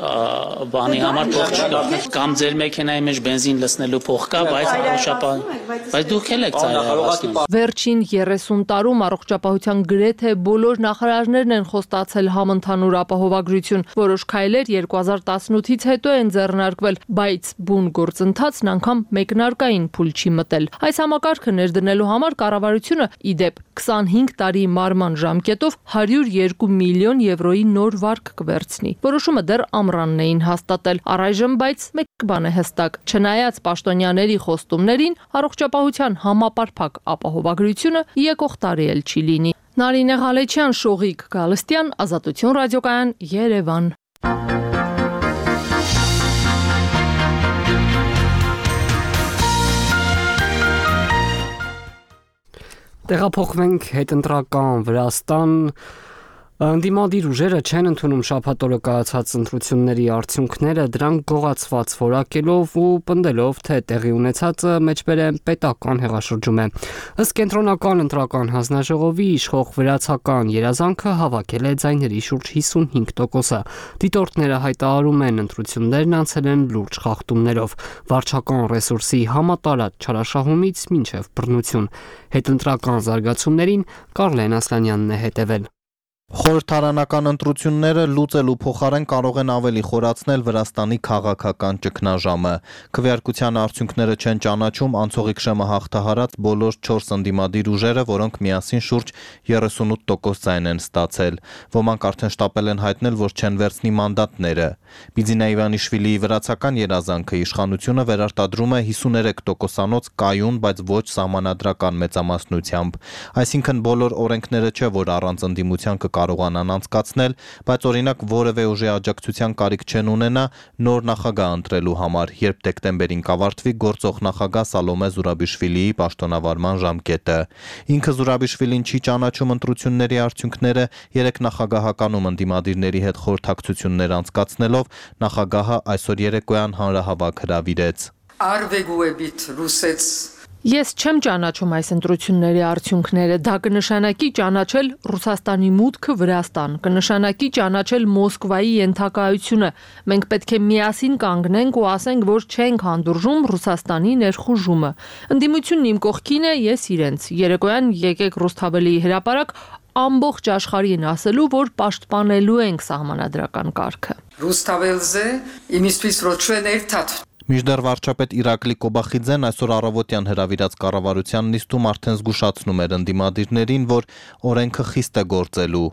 բանի համար փող չկա, կամ ձեր մեքենայի մեջ բենզին լցնելու փող կա, բայց դուք էլ եք ծայրահեղացնում։
Վերջին 30 տարում առողջապահության գրեթե բոլոր նախարարներն են խոստացել համընդհանուր ապահովագրություն, որոշ քայլեր 2018-ից հետո են ձեռնարկվել, բայց բուն գործընթացն անգամ մեկնարկային փուլ չի մտել։ Այս համակարգը ներդնելու համար կառավարությունը իդեպ 25 տարի մարման ժամկետով 102 միլիոն եվրոյի նոր վարկ կվերցնի։ Որոշումը դեռ ամռանն էին հաստատել։ Առայժմ բայց մեկ բան է հստակ, չնայած պաշտոնյաների խոստումներին, առողջապահության համապարփակ ապահովագրությունը եկող տարի էլ չի լինի։ Նարինե Ղալեչյան, Շողիկ Գալստյան, Ազատություն ռադիոկայան, Երևան։
Տեղափոխվենք հետընտրական Վրաստան։ Ընդդիմադիր ուժերը չեն ընդունում շաբաթօրը կայացած ընտրությունների արդյունքները, դրանք գողացված որակելով ու պնդելով, թե տեղի ունեցածը մեջբերեմ պետական հեղաշրջում է։ Ըստ կենտրոնական ընտրական հանձնաժողովի իշխող վրացական երազանքը հավաքել է ձայների շուրջ 55%-ը։ Դիտորդները հայտարարում են, ընտրություններն անցել են լուրջ խախտումներով, վարչական ռեսուրսի համատարած չարաշահումից մինչև բռնություն։ Հետընտրական զարգացումներին Կարլեն Ասլանյանն է հետևել։
Խորհրդարանական ընտրությունները լուծելու փոխարեն կարող են ավելի խորացնել Վրաստանի քաղաքական ճգնաժամը։ Քվեարկության արդյունքները չեն ճանաչում անցողիկ շեմը հաղթահարած բոլոր 4 ընդդիմադիր ուժերը, որոնք միասին շուրջ 38% ձայն են ստացել։ Ոմանք արդեն շտապել են հայտնել, որ չեն վերցնի մանդատները։ Բիձինա Իվանիշվիլիի վրացական երազանքը իշխանությունը վերարտադրում է 53%-անոց կայուն, բայց ոչ սահմանադրական մեծամասնությամբ։ Այսինքն բոլոր օրենքները չէ, որ առանց ընդդիմության կկարողանան անցկացնել, բայց օրինակ որևէ ուժի աջակցության կարիք չեն ունենա նոր նախագահ ընտրելու համար, երբ դեկտեմբերին կավարտվի գործող նախագահ Սալոմե Զուրաբիշվիլիի պաշտոնավարման ժամկետը։ Ինքը Զուրաբիշվիլին չի ճանաչում ընտրությունների արդյունքները, երեք նախագահականում ընդդիմադիրների հետ խորհրդակցություններ անցկացնելով նախագահը այսօր երեկոյան հանրահավաք հրավիրեց։
Ես չեմ ճանաչում այս ընտրությունների արդյունքները, դա կնշանակի ճանաչել Ռուսաստանի մուտքը Վրաստան, կնշանակի ճանաչել Մոսկվայի ենթակայությունը։ Մենք պետք է միասին կանգնենք ու ասենք, որ չենք հանդուրժում Ռուսաստանի ներխուժումը։ Ընդդիմությունն իմ կողքին է, ես իրենց։ Երեկոյան եկեք Ռուսթավելիի հրապարակ ամբողջ աշխարհին ասելու, որ պաշտպանելու ենք սահմանադրական կարգը։
Մինչդեռ վարչապետ Իրակլի Կոբախիձեն այսօր առավոտյան հրավիրած կառավարության նիստում արդեն զգուշացնում էր ընդդիմադիրներին, որ օրենքը խիստ է գործելու։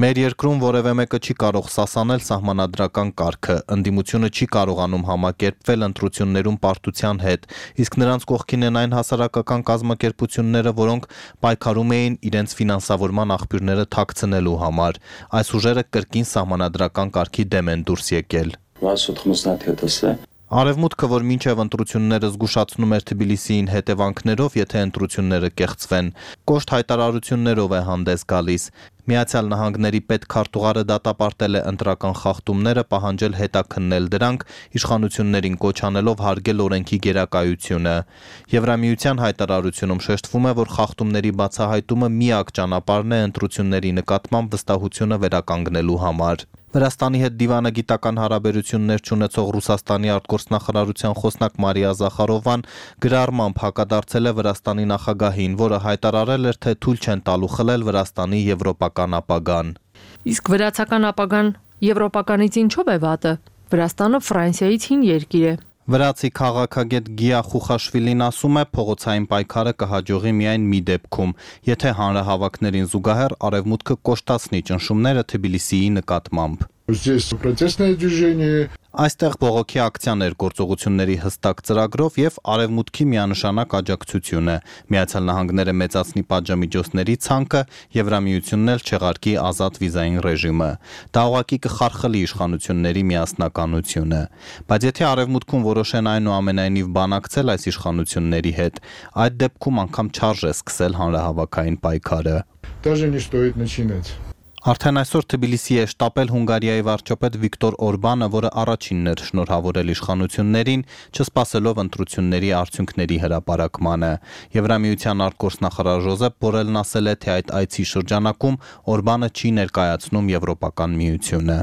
Մեր երկրում որևէ մեկը չի կարող սասանել սահմանադրական կարգը, ընդդիմությունը չի կարողանում համակերպվել ընտրություններում պարտության հետ, իսկ նրանց կողքին են այն հասարակական կազմակերպությունները, որոնք պայքարում էին իրենց ֆինանսավորման աղբյուրները թաքցնելու համար։ Այս ուժերը կրկին սահմանադրական կարգի դեմ են դուրս եկել։ Արևմուտքը, որ մինչև ընտրությունները զգուշացնում էր Թբիլիսիին հետևանքներով, եթե ընտրությունները կեղծվեն, կոշտ հայտարարություններով է հանդես գալիս։ Միացյալ Նահանգների պետքարտուղարը դատապարտել է ընտրական խախտումները, պահանջել հետաքննել դրանք, իշխանություններին կոչ անելով հարգել օրենքի գերակայությունը։ Եվրամիության հայտարարությունում շեշտվում է, որ խախտումների բացահայտումը միակ ճանապարհն է ընտրությունների նկատմամբ վստահությունը վերականգնելու համար։ Վրաստանի հետ դիվանագիտական հարաբերություններ չունեցող Ռուսաստանի արտգործնախարարության խոսնակ Մարիա Զախարովան գրառմամբ հակադարձել է Վրաստանի նախագահին, որը հայտարարել էր, թե թույլ չեն տալու խլել Վրաստանի եվրոպական ապագան։
Իսկ վրացական ապագան եվրոպականից ինչով է վատը։ Վրաստանը Ֆրանսիայից հին երկիր է։
Վրացի քաղաքագետ Գիա Խուխաշվիլին ասում է, փողոցային պայքարը կհաջողի միայն մի դեպքում, եթե հանրահավաքներին զուգահեռ արևմուտքը կոշտացնի ճնշումները Թբիլիսիի նկատմամբ։ Այստեղ բողոքի ակցիաներ գործողությունների հստակ ծրագրով եւ արևմուտքի միանշանակ աջակցությունը, Միացյալ Նահանգները մեծացնի պատժամիջոցների ցանկը, Եվրամիությունն էլ չեղարկի ազատ վիզային ռեժիմը։ Դա ուղղակի կխարխլի իշխանությունների միասնականությունը։ Բայց եթե արևմուտքում որոշեն այնուամենայնիվ բանակցել այս իշխանությունների հետ, այդ դեպքում անգամ չարժե սկսել հանրահավաքային պայքարը։ Արդեն այսօր Թբիլիսի է շտապել Հունգարիայի վարչապետ Վիկտոր Օրբանը, որը առաջինն էր շնորհավորել իշխանություններին, չսպասելով ընտրությունների արդյունքների հրապարակմանը։ Եվրամիության արտգործնախարար Ժոզեփ Բորելն ասել է, թե այդ այցի շրջանակում Օրբանը չի ներկայացնում Եվրոպական միությունը։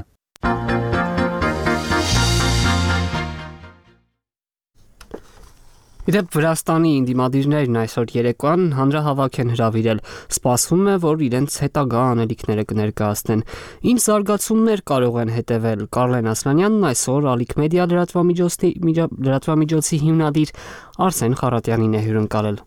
Իդեպ Վրաստանի ինդիմադիրներն այսօր երեկոյան հանրահավաք են հրավիրել, սպասվում է, որ իրենց հետագա անելիքները կներկայացնեն։ Ինչ զարգացումներ կարող են հետևել։ Կարլեն Ասլանյանն այսօր Ալիք մեդիա լրատվամիջոցի հիմնադիր Արսեն Խարատյանին է հյուրընկալել։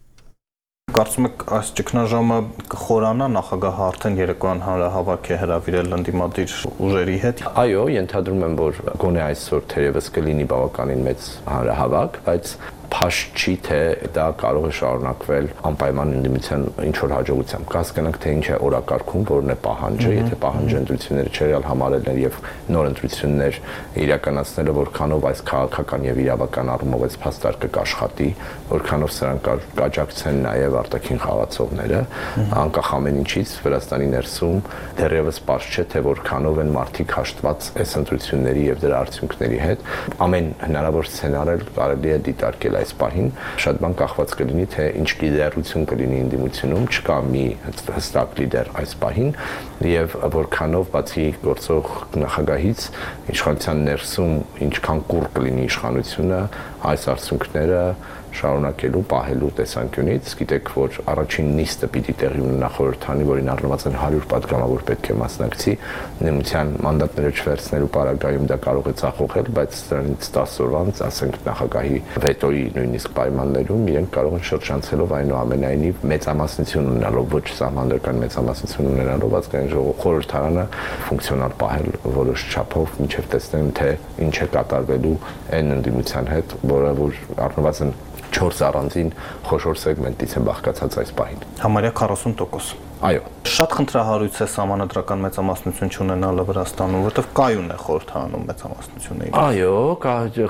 Կարծում եք այս ճգնաժամը կխորանա, նախագահը արդեն երեկոյան հանրահավաք է հրավիրել ընդդիմադիր ուժերի հետ։
Այո, ենթադրում եմ, որ գոնե այսօր թերևս կլինի բավականին մեծ հանրահավաք, բայց փաշտ չի, թե դա կարող է շարունակվել անպայման ընդդիմության ինչ որ հաջողությամբ։ Կհասկանանք, թե ինչ է օրակարգում, որն է պահանջը, եթե պահանջը ընտրությունները չերալ համարելն եւ նոր ընտրություններ իրականացնելը, որքանով այս քաղաքական եւ իրավական առումով այս փաստարկը կաշխատի, որքանով սրանք կաջակցեն նաեւ արտաքին խաղացողները, անկախ ամեն ինչից Վրաստանի ներսում դեռևս պարզ չէ, թե որքանով են մարդիկ հաշտված այս ընտրությունների եւ դրա արդյունքների հետ։ Ամեն հնարավոր սցենարը կարելի է դիտարկել այս պահին, շատ բան կախված կլինի, թե ինչ լիդերություն կլինի ընդդիմությունում, չկա մի հստակ լիդեր այս պահին եւ որքանով բացի գործող նախագահից իշխանության ներսում ինչքան կուռ կլինի իշխանությունը այս արդյունքները շարունակելու, պահելու տեսանկյունից, գիտեք, որ առաջին նիստը պիտի տեղի ունենա խորհրդանի, որին առնված են 100 պատգամավոր պետք է մասնակցի, նույնության մանդատները չվերցնելու պարագայում դա կարող է ձախողել, բայց դրանից 10 օրվա անց, ասենք նախագահի վետոյի նույնիսկ պայմաններում իրենք կարող են շրջանցելով այնուամենայնիվ մեծամասնություն ունենալով, ոչ սահմանադրական մեծամասնություն ունենալով ազգային ժողովի խորհրդարանը ֆունկցիոնալ պահել որոշ չափով, մինչև տեսնեն, թե ինչ է կատարվելու այն ընդդիմության հետ, որը որ առնված են 4 առանձին խոշոր սեգմենտից է բաղկացած այս պահին։
Համարյա 40%։
Այո,
շատ խնդրահարույց է սահմանադրական մեծամասնություն չունենալը Վրաստանում, որովհետև կայուն է խորհրդարանում մեծամասնությունը։
Այո,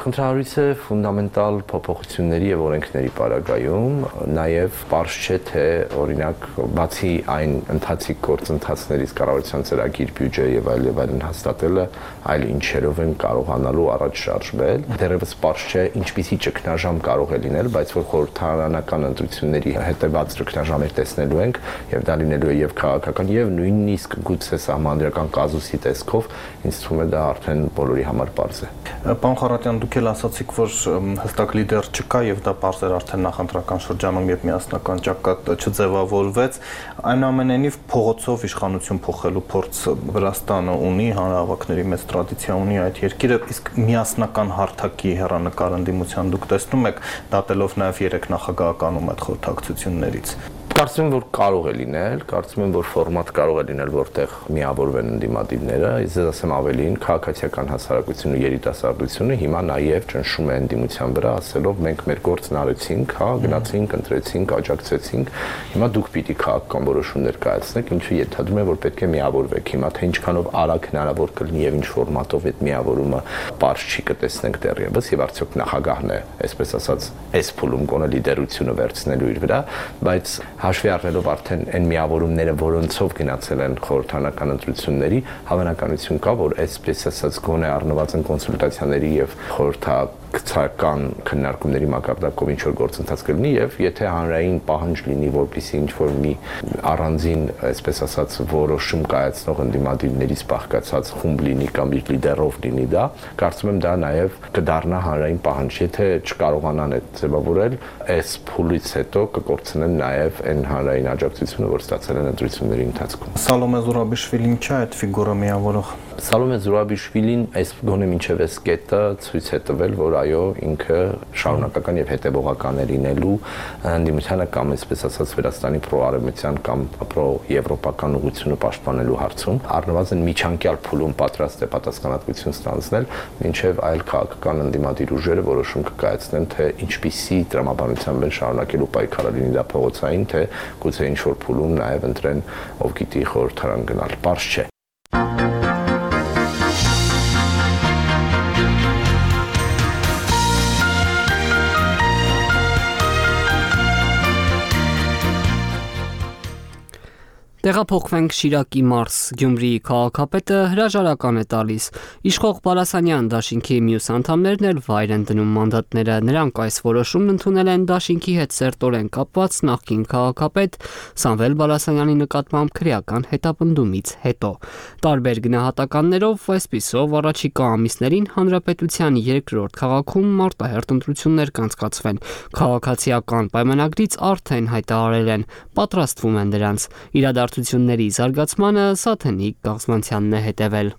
խնդրահարույց է ֆունդամենտալ փոփոխությունների եւ օրենքների պարագայում, նաեւ պարզ չէ թե օրինակ բացի այն ընթացիկ գործընթացներից կառավարության ծրագիր, բյուջե եւ այլն հաստատելը, այլ ինչերով են կարողանալու առաջ շարժվել։ Դեռևս պարզ չէ ինչպիսի ճգնաժամ կարող է լինել, բայց որ խորհրդարանական ընտրությունների հետեւած ճգնաժամեր տեսնելու ենք եւ դա լինելու է եւ քաղաքական եւ նույնիսկ գուցե սահմանադրական կազուսի տեսքով, ինձ թվում է դա արդեն բոլորի համար պարզ է։
Պարոն Խառատյան, դուք էլ ասացիք, որ հստակ լիդեր չկա եւ դա պարզ էր արդեն նախընտրական շրջանում, երբ միասնական ճակատ չձևավորվեց, այնուամենայնիվ փողոցով իշխանություն փոխելու փորձ Վրաստանը ունի, հանրահավաքների մեծ տրադիցիա ունի այդ երկիրը, իսկ միասնական հարթակի հեռանկար ընդդիմության դուք տեսնում եք, դատելով նաեւ 3 նախագահականում այդ խորհրդակցություններից։
Կարծում եմ, որ կարող է լինել, կարծում եմ, որ ֆորմատ կարող է լինել, որտեղ միավորվեն ընդդիմադիրները, ես ասեմ ավելին, քաղաքացիական հասարակությունը ու երիտասարդությունը հիմա նաև ճնշում է ընդդիմության վրա, ասելով մենք մեր գործն արեցինք, հա, գնացինք, ընտրեցինք, աջակցեցինք, հիմա դուք պիտի քաղաքական որոշումներ կայացնեք, ինչու ենթադրում եմ, որ պետք է միավորվեք։ Հիմա թե ինչքանով արագ հնարավոր կլինի եւ ինչ ֆորմատով այդ միավորումը պարզ չի կտեսնենք դեռևս եւ արդյոք նախագահն է, այսպես ասած, այս փուլում գոնե լիդերությունը վերցնելու իր վրա, բայց հաշվի առնելով արդեն այն միավորումները, որոնցով գնացել են խորհրդարանական ընտրությունների, հավանականություն կա, որ այսպես ասած գոնե առնվազն կոնսուլտացիաների եւ խորհրդակցական քննարկումների մակարդակով ինչ որ գործընթաց կլինի եւ եթե հանրային պահանջ լինի, որպեսզի ինչ որ մի առանձին, այսպես ասած, որոշում կայացնող ընդդիմադիրներից բաղկացած խումբ լինի կամ իր լիդերով լինի դա, կարծում եմ դա նաեւ կդառնա հանրային պահանջ, եթե չկարողանան այդ ձևավորել, այս փուլից հետո կկորցնեն նաեւ այն հանրային աջակցությունը, որ ստացել են ընտրությունների ընթացքում։
Սալոմե Զուրաբիշվիլին չէ այդ ֆիգուրը միավորող։
Սալոմե Զուրաբիշվիլին այս գոնե մինչև այս կետը ցույց է տվել, որ այո, ինքը շարունակական եւ հետեւողական է լինելու ընդդիմությանը կամ այսպես ասած Վրաստանի պրոարևմտյան կամ պրոեվրոպական ուղղությունը պաշտպանելու հարցում, առնվազն միջանկյալ փուլում պատրաստ է պատասխանատվություն ստանձնել, մինչև այլ քաղաքական ընդդիմադիր ուժերը որոշում կկայացնեն, թե ինչպիսի տրամաբանությամբ են շարունակելու պայքարը, լինի դա փողոցային, թե գուցե ինչ որ փուլում նաեւ ընտրեն ով գիտի խորհրդարան գնալ, պարզ չէ։
Տեղափոխվենք Շիրակի մարզ, Գյումրիի քաղաքապետը հրաժարական է տալիս։ Իշխող Բալասանյան դաշինքի մյուս անդամներն էլ վայր են դնում մանդատները։ Նրանք այս որոշումն ընդունել են դաշինքի հետ սերտորեն կապված նախկին քաղաքապետ Սամվել Բալասանյանի նկատմամբ քրեական հետապնդումից հետո։ Տարբեր գնահատականներով այսպիսով առաջիկա ամիսներին հանրապետության երկրորդ քաղաքում մարտահերթ ընտրություններ կանցկացվեն։ Քաղաքացիական պայմանագրից արդեն հայտարարել են, պատրաստվում են դրանց։ Իրադարձությունների զարգացմանը Սաթենիկ Գաղզմանցյանն է հետևել։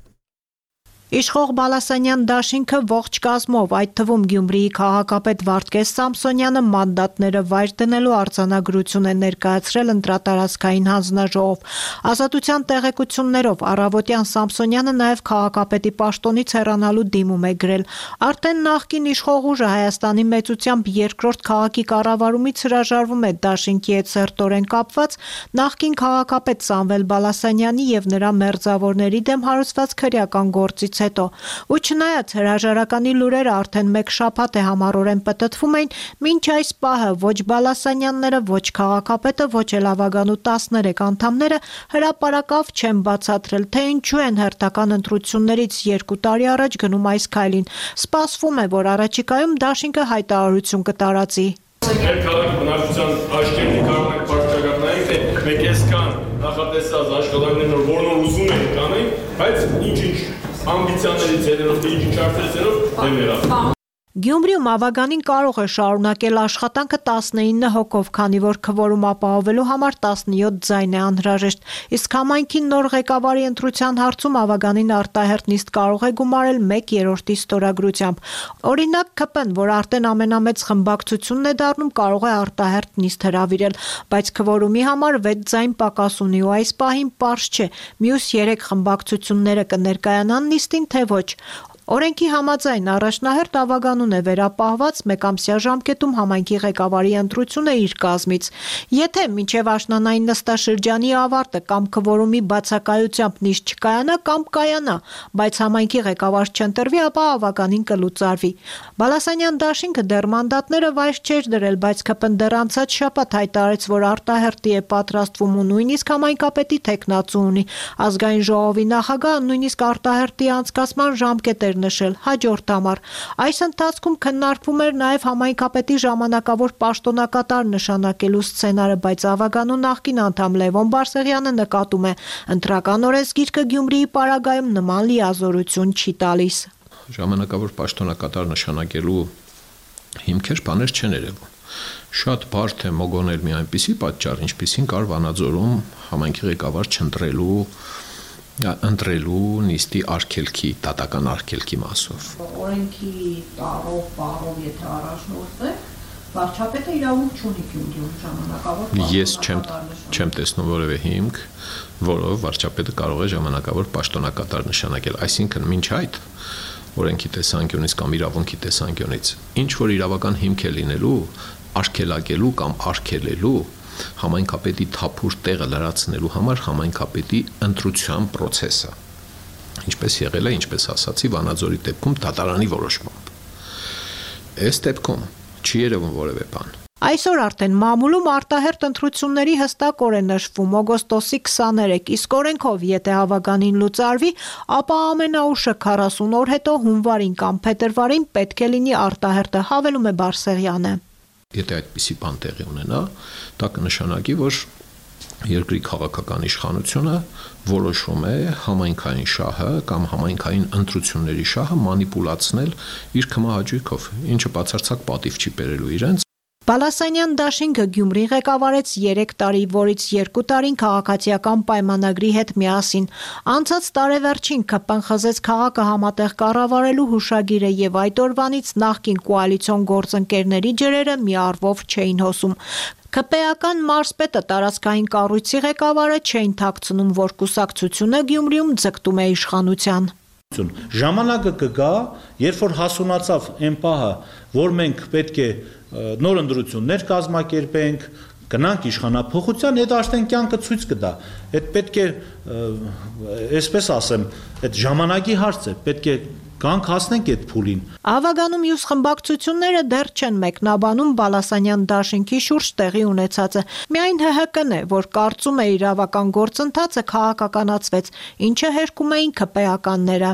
Իշխող Բալասանյան դաշինքը ողջ կազմով, այդ թվում Գյումրիի քաղաքապետ Վարդգես Սամսոնյանը մանդատները վայր դնելու արձանագրություն է ներկայացրել ընտրատարածքային հանձնաժողով։ Ազատության տեղեկություններով առավոտյան Սամսոնյանը նաև քաղաքապետի պաշտոնից հեռանալու դիմում է գրել։ Արդեն նախկին իշխող ուժը Հայաստանի մեծությամբ երկրորդ քաղաքի կառավարումից հրաժարվում է դաշինքի հետ սերտորեն կապված նախկին քաղաքապետ Սամվել Բալասանյանի եւ նրա մերձավորների դեմ հարուցված քրեական գործից հետո։ Ու չնայած հրաժարականի լուրերը արդեն մեկ շաբաթ է համառորեն պտտվում էին, մինչ այս պահը ոչ Բալասանյանները, ոչ քաղաքապետը, ոչ էլ ավագանու 13 անդամները հրապարակավ չեն բացատրել, թե ինչու են հերթական ընտրություններից 2 տարի առաջ գնում այս քայլին։ Սպասվում է, որ առաջիկայում դաշինքը հայտարարություն կտարածի։
Մեր քաղաքի բնակչության աչքերին կարող ենք բարձրացնել, թե մենք այսքան նախատեսած աշխատանքներով որոնք ուզում ենք կանենք, բայց ինչ-ինչ ամբիցիաների ցելերով, ինչ-ինչ արդյունքներով դեմ եղավ։
Գյումրիում ավագանին կարող է շարունակել աշխատանքը 19 հոգով, քանի որ քվորում ապահովելու համար 17 ձայն է անհրաժեշտ, իսկ համայնքի նոր ղեկավարի ընտրության հարցում ավագանին արտահերթ նիստ կարող է գումարել 1/3 ստորագրությամբ։ Օրինակ ԿՊ-ն, որ արդեն ամենամեծ խմբակցությունն է դառնում, կարող է արտահերթ նիստ հրավիրել, բայց քվորումի համար 6 ձայն պակաս ունի ու այս պահին պարզ չէ՝ մյուս 3 խմբակցությունները կներկայանան նիստին, թե ոչ։ Օրենքի համաձայն առաջնահերթ ավագանուն է վերապահված մեկամսյա ժամկետում համայնքի ղեկավարի ընտրությունը իր կազմից։ Եթե մինչև աշնանային նստաշրջանի ավարտը կամ քվորումի բացակայությամբ նիստ չկայանա կամ կայանա, բայց համայնքի ղեկավար չընտրվի, ապա ավագանին կլուծարվի։ Բալասանյան դաշինքը դեռ մանդատները վայր չէր դրել, բայց ԿՊ-ն դեռ անցած շաբաթ հայտարարեց, որ արտահերտի է պատրաստվում ու նույնիսկ համայնքապետի թեկնածու ունի։ Ազգային ժողովի նախագահը նույնիսկ արտահերտի անցկացման ժամկետ էր նշել հաջորդ ամառ։ Այս ընթացքում քննարկվում էր նաև համայնքապետի ժամանակավոր պաշտոնակատար նշանակելու սցենարը, բայց ավագանու նախկին անդամ Լևոն Բարսեղյանը նկատում է, ընտրական օրենսգիրքը Գյումրիի պարագայում նման լիազորություն չի տալիս։
Ժամանակավոր պաշտոնակատար նշանակելու հիմքեր բաներ չեն երևում։ Շատ բարդ է մոգոնել մի այնպիսի պատճառ, ինչպիսին կար Վանաձորում համայնքի ղեկավար ընտրելու նիստի արգելքի, դատական արգելքի մասով։
Օրենքի տարով, եթե առաջնորդ է, վարչապետը իրավունք չունի Գյումրիում ժամանակավոր։
Ես չեմ տեսնում որևէ հիմք, որով վարչապետը կարող է ժամանակավոր պաշտոնակատար նշանակել, այսինքն մինչ այդ օրենքի տեսանկյունից կամ իրավունքի տեսանկյունից ինչ որ իրավական հիմք է լինելու արգելակելու կամ արգելելու համայնքապետի թափուր տեղը լրացնելու համար համայնքապետի ընտրության process-ը, ինչպես եղել է, ինչպես ասացի, Վանաձորի դեպքում դատարանի որոշմամբ։ Այս դեպքում չի երևում որևէ բան։
Այսօր արդեն մամուլում արտահերտ ընտրությունների հստակ օր է նշվում օգոստոսի 23, իսկ օրենքով եթե հավագանին լուծարվի, ապա ամենաուշը 40 օր հետո հունվարին կամ փետրվարին պետք է լինի արտահերտը, հավելում է Բարսեղյանը։
Եթե այդպիսի բան տեղի ունենա, դա կնշանակի, որ երկրի քաղաքական իշխանությունը որոշում է համայնքային շահը կամ համայնքային ընտրությունների շահը մանիպուլացնել իր կմահաճույքով, ինչը բացարձակ պատիվ չի բերելու իրենց։
Բալասանյան դաշինքը Գյումրի ղեկավարեց 3 տարի, որից 2 տարին քաղաքացիական պայմանագրի հետ միասին։ Անցած տարեվերջին ԿՊ-ն խզեց քաղաքը համատեղ կառավարելու հուշագիրը եւ այդ օրվանից նախկին կոալիցիոն գործընկերների ջրերը մի առվով չէին հոսում։ ԿՊ-ական մարզպետը տարածքային կառույցի ղեկավարը չէին թաքցնում, որ կուսակցությունը Գյումրիում ձգտում է իշխանության։
Ժամանակը կգա, երբ որ հասունացավ այն պահը, որ մենք պետք է նոր ընտրություններ կազմակերպենք, գնանք իշխանափոխության, այդ արդեն կյանքը ցույց կտա։ Այդ պետք է, այսպես ասեմ, այդ ժամանակի հարց է, պետք է գանք հասնենք այդ փուլին։
Ավագանում մյուս խմբակցությունները դեռ չեն մեկնաբանում Բալասանյան դաշինքի շուրջ տեղի ունեցածը։ Միայն ՀՀԿ-ն է, որ կարծում է իրավական գործընթացը քաղաքականացվեց, ինչը հերկում էին ԿՊ-ականները։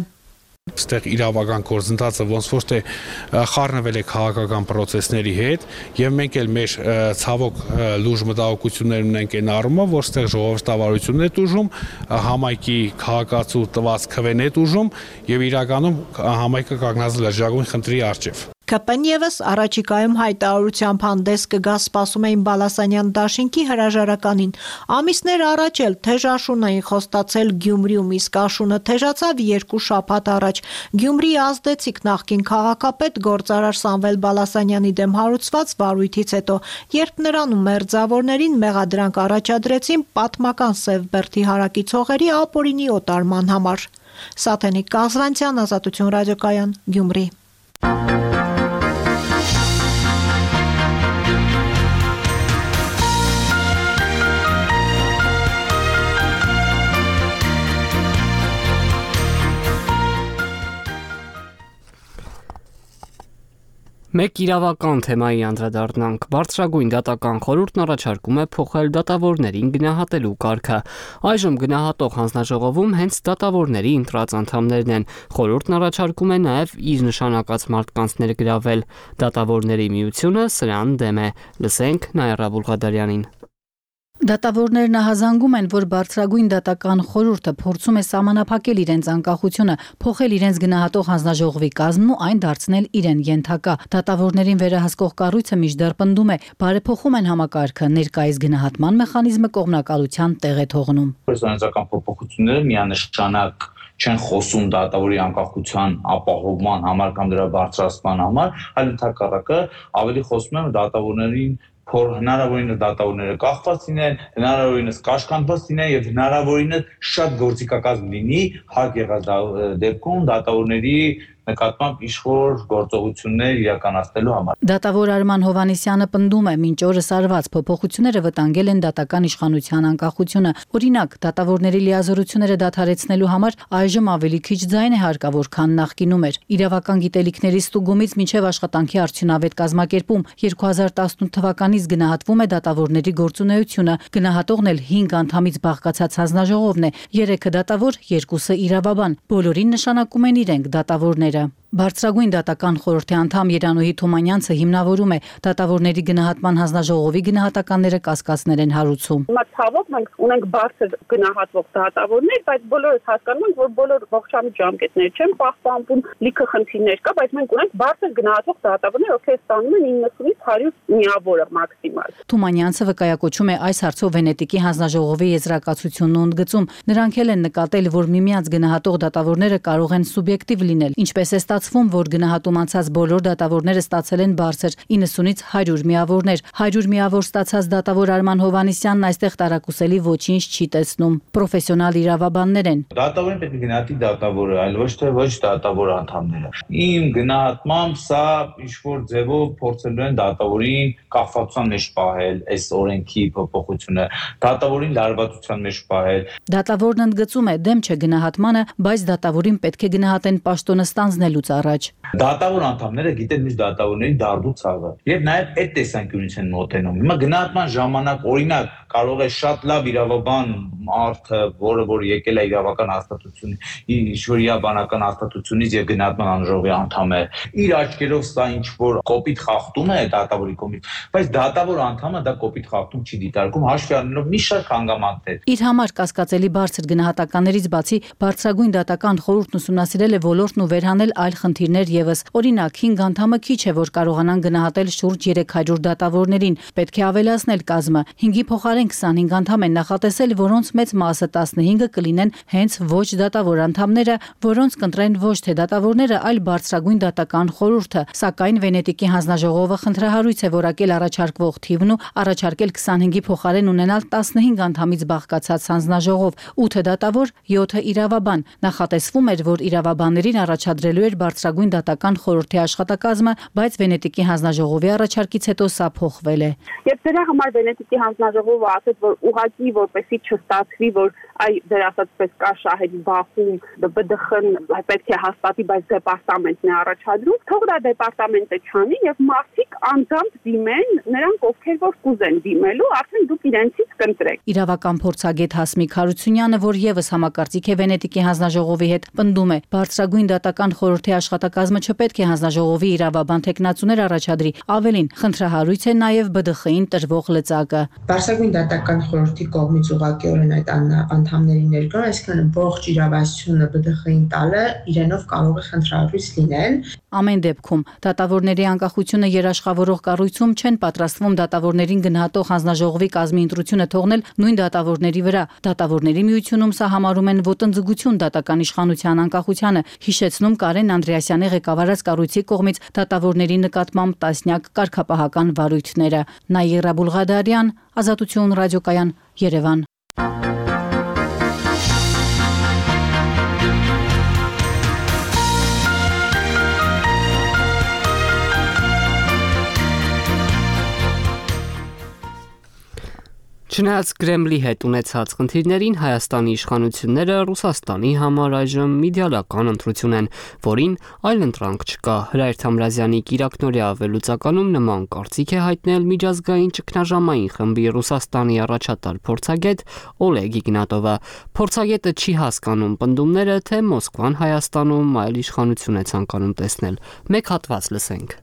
Այստեղ իրավական գործընթացը ոնց որ թե խառնվել է քաղաքական process-ների հետ եւ մենք էլ մեր ցավոք լուրջ մտահոգություններ ունենք այն առումով, որ այստեղ ժողովրդավարությունն է տուժում, համայնքի քաղաքացու տված քվեն է տուժում եւ իրականում համայնքը կանգնած լրջագույն խնդրի առջեւ։
ԿՊ-ն եւս առաջիկայում հայտարարությամբ հանդես կգա, սպասում էին Բալասանյան դաշինքի հրաժարականին։ Ամիսներ առաջ էլ թեժ աշուն էին խոստացել Գյումրիում, իսկ աշունը թեժացավ 2 շաբաթ առաջ։ Գյումրիի ազդեցիկ նախկին քաղաքապետ գործարար Սամվել Բալասանյանի դեմ հարուցված վարույթից հետո, երբ նրան ու մերձավորներին մեղադրանք առաջադրեցին պատմական Սևբերդի հարակից հողերի ապօրինի օտարման համար։ Սաթենիկ Կազվանցյան, Ազատություն ռադիոկայան, Գյումրի։
Մեկ իրավական թեմայի անդրադառնանք։ Բարձրագույն դատական խորհուրդն առաջարկում է փոխել դատավորներին գնահատելու կարգը։ Այժմ գնահատող հանձնաժողովում հենց դատավորների ընտրած անդամներն են։ Խորհուրդն առաջարկում է նաև իր նշանակած մարդկանց ներգրավել։ Դատավորների միությունը սրան դեմ է։ Լսենք Նայրա Բուլղադարյանին։
Դատավորներն ահազանգում են, որ բարձրագույն դատական խորհուրդը փորձում է սահմանափակել իրենց անկախությունը, փոխել իրենց գնահատող հանձնաժողովի կազմն ու այն դարձնել իրեն ենթակա։ Դատավորներին վերահսկող կառույցը մինչդեռ պնդում է, բարեփոխում են համակարգը, ներկայիս գնահատման մեխանիզմը կողմնակալության տեղ է թողնում։
Օրենսդրական փոփոխությունները միանշանակ չեն խոսում դատավորի անկախության ապահովման համար կամ դրա բարձրացման համար, այլ ընդհակառակը ավելի խոսում են դատավորներին հնարավորինս դատավորները կախված լինեն, հնարավորինս կաշկանդված լինեն եւ հնարավորինս շատ գործիքակազմ լինի հարկ եղած դեպքում դատավորների նկատմամբ իշխոր գործողություններ իրականացնելու համար։
Դատավոր Արման Հովհաննիսյանը պնդում է, մինչ օրս արված փոփոխությունները վտանգել են դատական իշխանության անկախությունը։ Օրինակ, դատավորների լիազորությունները դադարեցնելու համար այժմ ավելի քիչ ձայն է հարկավոր, քան նախկինում էր։ Իրավական գիտելիքների ստուգումից մինչև աշխատանքի արդյունավետ կազմակերպում 2018 թվականից գնահատվում է դատավորների գործունեությունը։ Գնահատողն էլ 5 անդամից բաղկացած հանձնաժողովն է, 3 դատավոր, 2 իրավաբան։ Բոլորին նշանակում են իրենք դատավորները։ Բարձրագույն դատական խորհրդի անդամ Երանուհի Թումանյանցը հիմնավորում է դատավորների գնահատման հանձնաժողովի գնահատականները կասկածներ են հարուցում։
Ցավոք մենք ունենք բարձր գնահատվող դատավորներ, բայց բոլորս հասկանում ենք, որ բոլոր ողջամիտ ժամկետներ չեն պահպանվում, լիքը խնդիրներ կա, բայց մենք ունենք բարձր գնահատվող դատավորներ, ովքեր ստանում են 90-ից 100 միավորը մաքսիմալ։
Թումանյանցը վկայակոչում է այս հարցով Վենետիկի հանձնաժողովի եզրակացությունն ու ընդգծում։ Նրանք էլ են նկատել, որ միմյանց գնահատող դատավորները կարող են սուբյեկտիվ լինել, ինչպես է ստացվում, որ գնահատում անցած բոլոր դատավորները ստացել են բարձր 90-ից 100 միավորներ։ 100 միավոր ստացած դատավոր Արման Հովհաննիսյանն այստեղ տարակուսելի ոչինչ չի տեսնում։ Պրոֆեսիոնալ իրավաբաններ են։
Դատավորին պետք է գնահատի դատավորը, այլ ոչ թե ոչ դատավոր անդամները։ Իմ գնահատմամբ սա ինչ-որ ձևով փորձելու են դատավորին կախվածության մեջ պահել, այս օրենքի փոփոխությունը, դատավորին լարվածության մեջ պահել։
Դատավորն ընդգծում է, դեմ չէ գնահատմանը, բայց դատավորին պետք է գնահատեն պաշտոնը ստանձնելուց առաջ։
Դատավոր անդամները գիտեն միշտ դատավորների դարդու ցավը եւ նաեւ այդ տեսանկյունից են մոտենում։ Հիմա գնահատման ժամանակ օրինակ կարող է շատ լավ իրավաբան մարդը, որ եկել է իրավական հաստատությունից, ինչ-որ իրավաբանական հաստատությունից եւ գնահատման անժողովի անդամ է, իր աչքերով սա ինչ-որ կոպիտ խախտում է դատավորի կողմից, բայց դատավոր անդամը դա կոպիտ խախտում չի դիտարկում, հաշվի առնելով մի շարք հանգամանքներ։
Իր համար կասկածելի բարձր գնահատականներից բացի բարձրագույն դատական խորհուրդն ուսումնասիրել է ոլորտն ու վերհանել այլ խնդիրներ եւս։ Օրինակ 5 անդամը քիչ է, որ կարողանան գնահատել շուրջ 300 դատավորներին։ Պետք է ավելացնել կազմը։ 5-ի փոխարեն 25 անդամ են նախատեսել, որոնց մեծ մասը 15 կլինեն հենց ոչ դատավոր անդամները, որոնց կընտրեն ոչ թե դատավորները, այլ բարձրագույն դատական խորհուրդը։ Սակայն Վենետիկի հանձնաժողովը խնդրահարույց է որակել առաջարկվող թիվն ու առաջարկել 25-ի փոխարեն ունենալ 15 անդամից բաղկացած հանձնաժողով, 8 դատավոր, 7 իրավաբան։ Նախատեսվում էր, որ իրավաբաններին առաջադրելու էր բարձրագույն դատական խորհրդի աշխատակազմը, բայց Վենետիկի հանձնաժողովի առաջարկից հետո սա փոխվել է։
Եվ դրա համար Վենետիկի հանձնաժողովը ասաց, որ ուղղակի որպեսի չստացվի, որ դեր ասած պես կա շահերի բախում, ԲԴԽ-ն պետք է հաստատի, բայց դեպարտամենտն է առաջադրում, թող դա դեպարտամենտը չանի եւ մարդիկ անձամբ դիմեն, նրանք ովքեր որ կուզեն դիմելու, արդեն դուք իրենցից կընտրեք։
Իրավական փորձագետ Հասմիկ Հարությունյանը, որ եւս համակարծիք է Վենետիկի հանձնաժողովի հետ, պնդում է, բարձրագույն դատական խորհրդի աշխատակազմը չպետք է հանձնաժողովի իրավաբան տեխնացուներ առաջադրի, ավելին խնդրահարույց է նաեւ ԲԴԽ-ին տրվող լծակը։
Բարձրագույն դատական խորհրդի կողմից ուղղակիորեն այդ անդամների ներկան, այսինքն ողջ իրավասությունը ԲԴԽ-ին տալը իրենով կարող է խնդրահարույց լինել։
Ամեն դեպքում դատավորների անկախությունը երաշխավորող կառույցում չեն պատրաստվում դատավորներին գնահատող հանձնաժողովի կազմի ընտրությունը թողնել նույն դատավորների վրա։ Դատավորների միությունում սա համարում են ոտնձգություն դատական իշխանության անկախությանը, հիշեցնում Կարեն Անդրեասյանի ղեկավարած կառույցի կողմից դատավորների նկատմամբ տասնյակ կարգապահական վարույթները։ Նաիրա Բուլղադարյան, Ազատություն ռադիոկայան, Երևան։
Չնայած Կրեմլի հետ ունեցած խնդիրներին, Հայաստանի իշխանությունները Ռուսաստանի համար այժմ իդեալական ընտրություն են, որին այլ ընտրանք չկա։ Հրայր Թամրազյանի կիրակնօրյա վերլուծականում նման կարծիք է հայտնել միջազգային ճգնաժամային խմբի Ռուսաստանի առաջատար փորձագետ Օլեգ Իգնատովը։ Փորձագետը չի հասկանում պնդումները, թե Մոսկվան Հայաստանում այլ իշխանություն է ցանկանում տեսնել։ Մեկ հատված լսենք։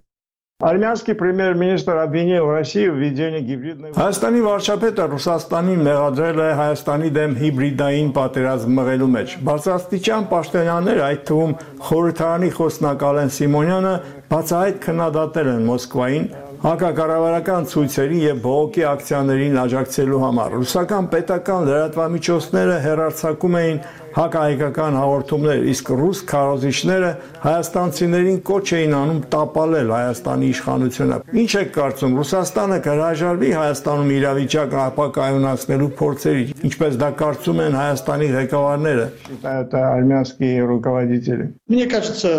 Армянский премьер-министр обвинил Россию в введении гибридной... Հայաստանի վարչապետը Ռուսաստանին մեղադրել է Հայաստանի դեմ հիբրիդային պատերազմ մղելու մեջ։ Բարձրաստիճան պաշտոնյաներ, այդ թվում խորհրդարանի խոսնակ Ալեն Սիմոնյանը, բացահայտ քննադատել են Մոսկվային հակակառավարական ցույցերի եւ բողոքի ակցիաներին աջակցելու համար։ Ռուսական պետական լրատվամիջոցները հեռարձակում էին հակահայկական հաղորդումներ, իսկ ռուս քարոզիչները հայաստանցիներին կոչ էին անում տապալել Հայաստանի իշխանությունը։ Ինչ եք կարծում, Ռուսաստանը կհրաժարվի Հայաստանում իրավիճակը ապակայունացնելու փորձերի, ինչպես դա կարծում են Հայաստանի ղեկավարները։
Это армянские руководители. Мне кажется,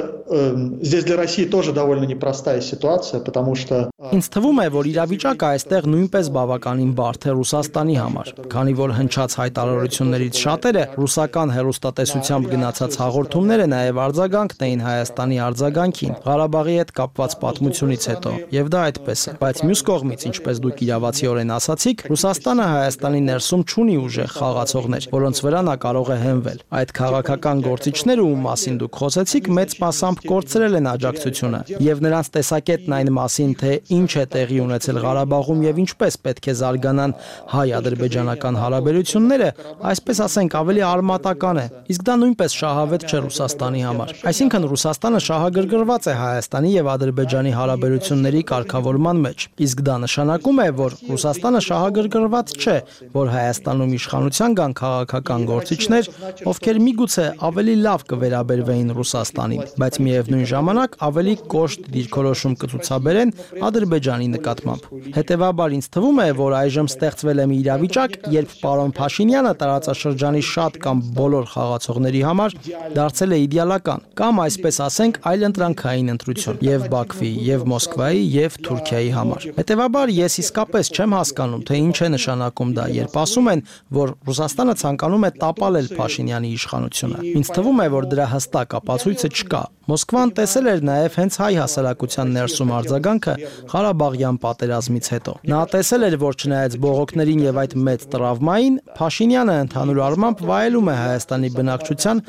здесь для России тоже довольно непростая ситуация, потому что
Ինձ թվում է, որ իրավիճակը այստեղ նույնպես բավականին բարդ է Ռուսաստանի համար, քանի որ հնչած հայտարարություններից շատերը ռուսական հեռուստատեսությամբ գնացած հաղորդումները նաև արձագանքն էին Հայաստանի արձագանքին, Ղարաբաղի հետ կապված պատմությունից հետո, եւ դա այդպես է։ Բայց մյուս կողմից, ինչպես դուք իրավացիորեն ասացիք, Ռուսաստանը Հայաստանի ներսում չունի ուժեղ խաղացողներ, որոնց վրա նա կարող է հենվել։ Այդ քաղաքական գործիչները, ում մասին դուք խոսեցիք, մեծ մասամբ կորցրել են աջակցությունը, եւ նրանց տեսակետն այն մասին, թե ինչ է տեղի ունեցել Ղարաբաղում եւ ինչպես պետք է զարգանան հայ-ադրբեջանական հարաբերությունները, այսպես ասենք, ավելի արմատական է։ Իսկ դա նույնպես շահավետ չէ Ռուսաստանի համար։ Այսինքն Ռուսաստանը շահագրգռված է Հայաստանի եւ Ադրբեջանի հարաբերությունների կարգավորման մեջ։ Իսկ դա նշանակում է, որ Ռուսաստանը շահագրգռված չէ, որ Հայաստանում իշխանության կան քաղաքական գործիչներ, ովքեր միգուցե ավելի լավ կվերաբերվեին Ռուսաստանին, բայց միևնույն ժամանակ ավելի կոշտ դիրքորոշում կցուցաբերեն Ադրբեջանի նկատմամբ։ Հետևաբար ինձ թվում է, որ այժմ ստեղծվել է մի իրավիճակ, երբ պարոն Փաշինյանը տարածաշրջանի շատ կամ բոլոր խաղացողների համար դարձել է իդեալական, կամ այսպես ասենք, այլընտրանքային ընտրություն եւ Բաքվի, եւ Մոսկվայի, եւ Թուրքիայի համար։ Հետևաբար ես իսկապես չեմ հասկանում, թե ինչ է նշանակում դա, երբ ասում են, որ Ռուսաստանը ցանկանում է տապալել Փաշինյանի իշխանությունը։ Ինձ թվում է, որ դրա հստակ ապացույցը չկա։ Մոսկվան տեսել էր նաև հենց հայ հասարակության ներսում արձագանքը Ղարաբաղյան պատերազմից հետո։ Նա տեսել էր, որ չնայած բողոքներին եւ այդ մեծ տրավմային, Փաշինյանը ընդհանուր առմամբ վայելում է Հայաստանի բնակչության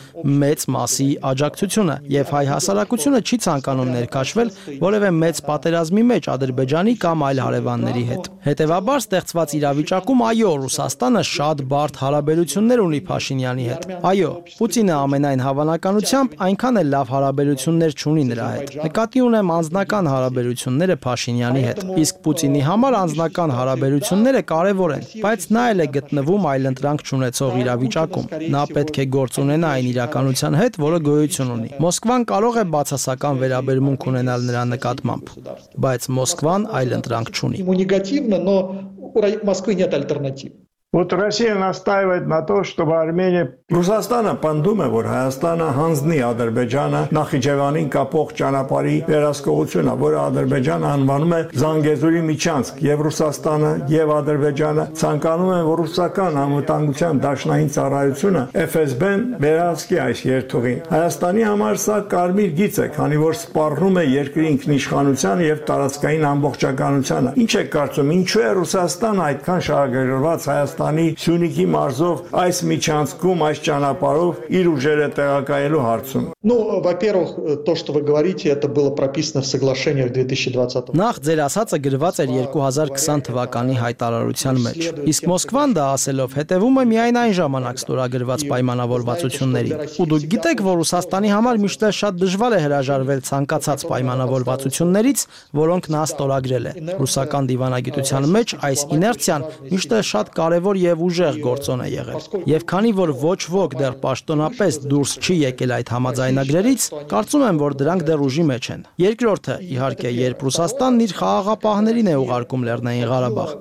մեծ մասի աջակցությունը, եւ հայ հասարակությունը չի ցանկանում ներքաշվել որևէ մեծ պատերազմի մեջ Ադրբեջանի կամ այլ հարևանների հետ։ Հետևաբար ստեղծված իրավիճակում այո, Ռուսաստանը շատ բարդ հարաբերություններ ունի Փաշինյանի հետ։ Այո, Պուտինը ամենայն հավանականությամբ այնքան էլ լավ հարաբերություններ չունի նրա հետ։ Նկատի ունեմ անձնական հարաբերությունները Փաշինյանի հետ։ Իսկ Պուտինի համար անձնական հարաբերությունները կարևոր են, բայց նա էլ է գտնվում այլընտրանք չունեցող իրավիճակում։ Նա պետք է գործ ունենա այն իրականության հետ, որը գոյություն ունի։ Մոսկվան կարող է բացասական վերաբերմունք ունենալ նրա նկատմամբ, բայց Մոսկվան այլընտրանք չունի։
но у Москвы нет альтернатив.
Вот Россия настаивает на том, чтобы Армения Ռուսաստանը պնդում է, որ Հայաստանը հանձնի Ադրբեջանը Նախիջևանին կապող ճանապարհի վերահսկողությունը, որը Ադրբեջանը անվանում է Զանգեզուրի միջանցք, եւ Ռուսաստանը եւ Ադրբեջանը ցանկանում են, որ ռուսական անվտանգության դաշնային ծառայությունը FSB-ն վերահսկի այս երթուղին։ Հայաստանի համար սա կարմիր գիծ է, քանի որ սպառնում է երկրի ինքնիշխանության եւ տարածքային ամբողջականությանը։ Ինչ է կարծում, ինչու է Ռուսաստանը այդքան շահագրգռված Հայաստանի Սյունիքի մարզով այս միջանցքում ճանապարհով իր ուժերը տեղակայելու հարցում։
Ну, во-первых, то, что вы говорите, это было прописано в соглашениях 2020 года.
Նախ ձեր ասածը գրված էր 2020 թվականի հայտարարության մեջ։ Իսկ Մոսկվան դա ասելով հետևում է միայն այն ժամանակ ստորագրված պայմանավորվածություններին։ Ու դուք գիտեք, որ Ռուսաստանի համար միշտ շատ դժվար է հրաժարվել ցանկացած պայմանավորվածություններից, որոնք նա ստորագրել է։ Ռուսական դիվանագիտության մեջ այս իներցիան միշտ շատ կարևոր եւ ուժեղ գործոն է եղել։ Եվ քանի որ ոչ ոք դեռ պաշտոնապես դուրս չի եկել այդ համաձայնագրերից, կարծում եմ, որ դրանք դեռ ուժի մեջ են։ Երկրորդը, իհարկե, երբ Ռուսաստանն իր խաղաղապահներին է ուղարկում Լեռնային Ղարաբաղ,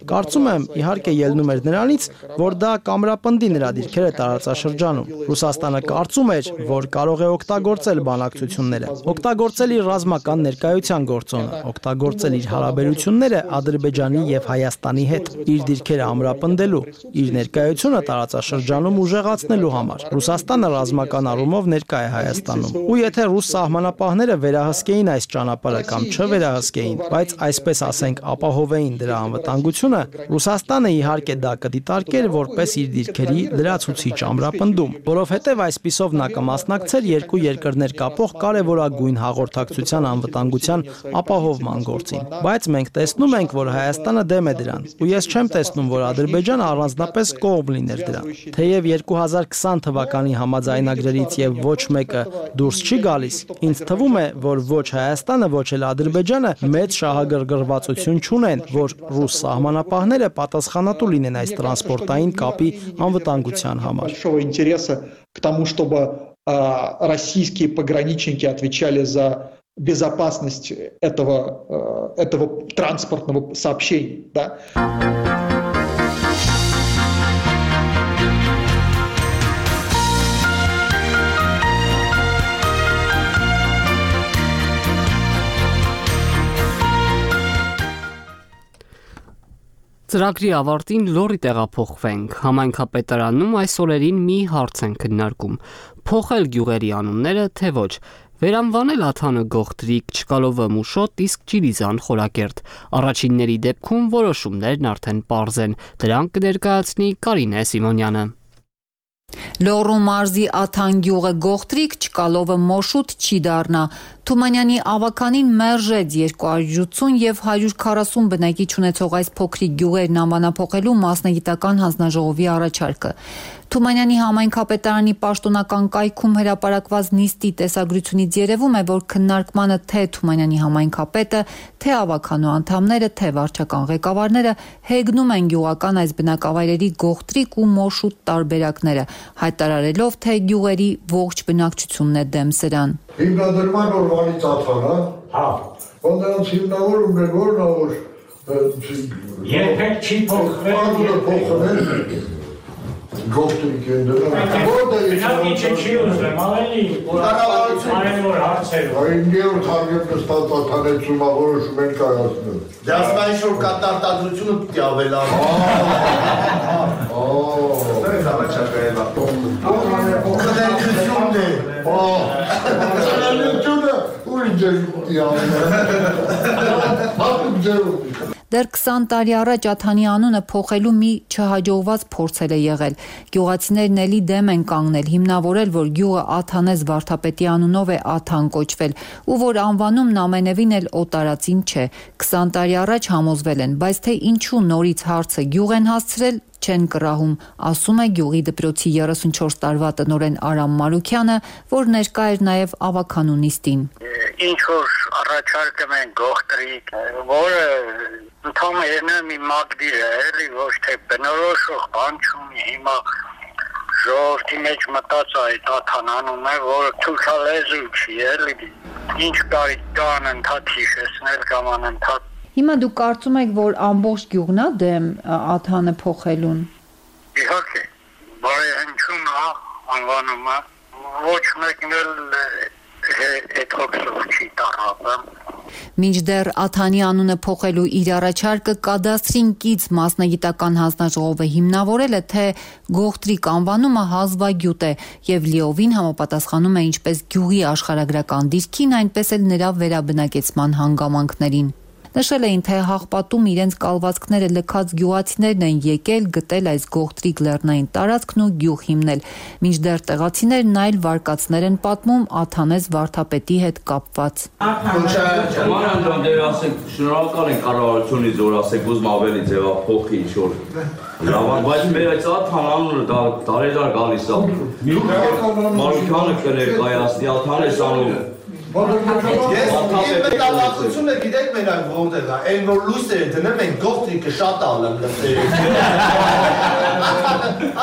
կարծում եմ, իհարկե ելնում էր նրանից, որ դա կամրապնդի նրա դիրքերը տարածաշրջանում։ Ռուսաստանը կարծում էր, որ կարող է օգտագործել բանակցությունները, օգտագործել իր ռազմական ներկայության գործոնը, օգտագործել իր հարաբերությունները Ադրբեջանի եւ Հայաստանի հետ, իր դիրքերը ամրապնդելու, իր ներկայությունը տարածաշրջանում ուժեղացնելու համար։ Ռուսաստանը ռազմական առումով ներկա է Հայաստանում։ Ու եթե ռուս սահմանապահները վերահսկեին այս ճանապարհը կամ չվերահսկեին, բայց այսպես ասենք ապահովեին դրա անվտանգությունը, Ռուսաստանը իհարկե դա կդիտարկեր որպես իր դիրքերի լրացուցիչ ամրապնդում, որովհետև այսպիսով նա կմասնակցեր երկու երկրներ կապող կարևորագույն հաղորդակցության անվտանգության ապահովման գործին։ Բայց մենք տեսնում ենք, որ Հայաստանը դեմ է դրան, ու ես չեմ տեսնում, որ Ադրբեջանը Ադրբեջանը առանձնապես կողմ լիներ դրան։ Թեև 2020 թվականի համաձայնագրերից եւ ոչ մեկը դուրս չի գալիս, ինձ թվում է, որ ոչ Հայաստանը, ոչ էլ Ադրբեջանը մեծ շահագրգռվածություն չունեն, որ ռուս սահմանապահները պատասխանատու լինեն այս տրանսպորտային կապի անվտանգության համար։
К тому, чтобы российские пограничники отвечали за безопасность этого транспортного сообщения, да?
Ծրագրի ավարտին լորի տեղափոխվենք։ Համայնքապետարանում այս օրերին մի հարց են քննարկում. փոխել գյուղերի անունները, թե ոչ։ Վերանվանել Աթանը Գողտրիկ, Չկալովը Մուշոտ, իսկ Ճիլիզան Խորակերտ։ Առաջինների դեպքում որոշումներն արդեն պարզ են։ Դրանք կներկայացնի Կարինե Սիմոնյանը։
Լոռու մարզի Աթան գյուղը Գողտրիկ, Չկալովը Մոշուտ չի դառնա։ Թումանյանի ավականին մերժեց 270 եւ 140 բնակիչ ունեցող այս փոքրիկ գյուղերն անվանափոխելու մասնագիտական հանձնաժողովի առաջարկը։ Թումանյանի համայնքապետարանի պաշտոնական կայքում հրապարակված նիստի տեսագրությունից երևում է, որ քննարկմանը թե Թումանյանի համայնքապետը, թե ավականու անդամները, թե վարչական ղեկավարները հեգնում են գյուղական այս բնակավայրերի Գողտրիկ ու Մոշուտ տարբերակները, հայտարարելով, թե գյուղերի ողջ բնակչությունն է դեմ սրան։
Հիմնադրման օրվանից Աթանը, նրանց հիմնավորումն է, որ
երբեք չի փոխվել
Գողտրիկ են դրան։
Չի ուզում, ավելի որ հարցեր։
Այն երդ հարգեպն ստած աթանեցում որոշում են կայացնել։
Դե ասում այն շոր կատարտադրությունը պիտի ավելանա։
Դες առաջակայելա։ Խնդրությունն է։ Խնդրությունը ուրիշ ջերմ պիտի ավելանա։ Հատուկ ջերմ։
Դեռ 20 տարի առաջ Աթանի անունը փոխելու մի չհաջողված փորձ է եղել։ Գյուղացիներն էլի դեմ են կանգնել, հիմնավորել, որ գյուղը Աթանես վարդապետի անունով է Աթան կոչվել, ու որ անվանումն ամենևին էլ օտարածին չէ։ 20 տարի առաջ համոզվել են, բայց թե ինչու նորից հարցը գյուղ են հասցրել, չեն կռահում, ասում է գյուղի դպրոցի 34 տարվա տնօրեն Արամ Մարուքյանը, որ ներկա էր նաև ավականու նիստին։
Ինչ որ առաջարկում են Գողտրիկ, որը ընդհանրապես մի մակդիր է, էլի ոչ թե բնորոշող բան չունի, հիմա ժողովրդի մեջ մտած այդ Աթան անունը, որը թուրքալեզու չի, էլի ինչ կարիք կան ընդհանուր հիշեցնել կամ անընդհատ։
Հիմա դուք կարծում եք, որ ամբողջ գյուղն է դեմ Աթանը փոխելուն։
Իհարկե, բարեհնչում է անվանումը, ոչ մեկն էլ այդ հոգսով չի տարապում։
Մինչդեռ Աթանի անունը փոխելու իր առաջարկը կադաստրին կից մասնագիտական հանձնաժողովը հիմնավորել է, թե Գողտրիկ անվանումը հազվագյուտ է եւ լիովին համապատասխանում է ինչպես գյուղի աշխարհագրական դիրքին, այնպես էլ նրա վերաբնակեցման հանգամանքներին։ Նշել էին, թե Հաղպատում իրենց կալվածքները լքած գյուղացիներն են եկել գտել այս Գողտրիկ լեռնային տարածքն ու գյուղ հիմնել, մինչդեռ տեղացիներն այլ վարկածներ են պատմում Աթանես վարդապետի հետ կապված։
Շնորհակալ ենք կառավարությունից, որ ասեք ուզում ավելի ձևափոխի ինչ-որ լավ, բայց մեր այս Աթան անունը տարեդար գալիս է։ Մարուքյանը կներկայացնի Աթանես անունը։
Ես մտավախությունը գիտեք մենակ որտեղ է, այն որ լույսերը դնում են Գողտրիկը շատ ալեմ լսերը։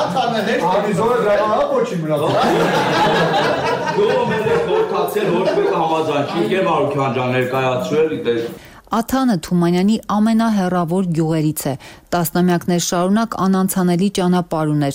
Աթանը հետ
Ալիզորը դրանա ոչի մնացել։
Դու մեր խորհրդացել ոչ մեկ համաձայն չի Գեր Մարուքյան ջան ներկայացրել
Աթանը Թումանյանի ամենահեռավոր գյուղերից է, տասնամյակներ շարունակ անանցանելի ճանապարհ ուներ։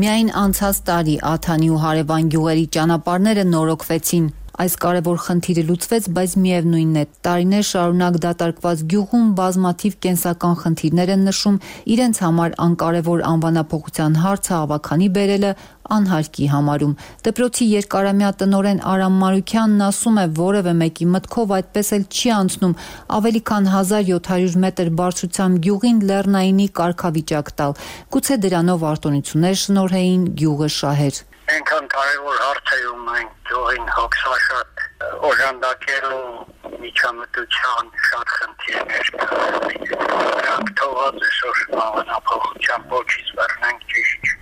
Միայն անցած տարի Աթանի ու հարևան գյուղերի ճանապարհները նորոգվեցին։ Այս կարևոր խնդիրը լուծվեց, բայց միևնույնն է, տարիներ շարունակ դատարկված գյուղում բազմաթիվ կենսական խնդիրներ են նշում, իրենց համար անկարևոր անվանափոխության հարցը ավականի բերելը անհարկի համարում։ Դպրոցի երկարամյա տնօրեն Արամ Մարուքյանն ասում է, որևէ մեկի մտքով այդպես էլ չի անցնում ավելի քան 1700 մետր բարձրությամբ գյուղին լեռնայինի կարգավիճակ տալ։ Գուցե դրանով արտոնություններ շնորհեին գյուղը շահեր։
Այնքան կարևոր հարց է ու մենք գյուղին հոգսաշատ օժանդակելու միջամտության շատ խնդիրներ կան։ Դրանք թողած այսօր անվանափոխության ոչից վերնենք ճիշտ։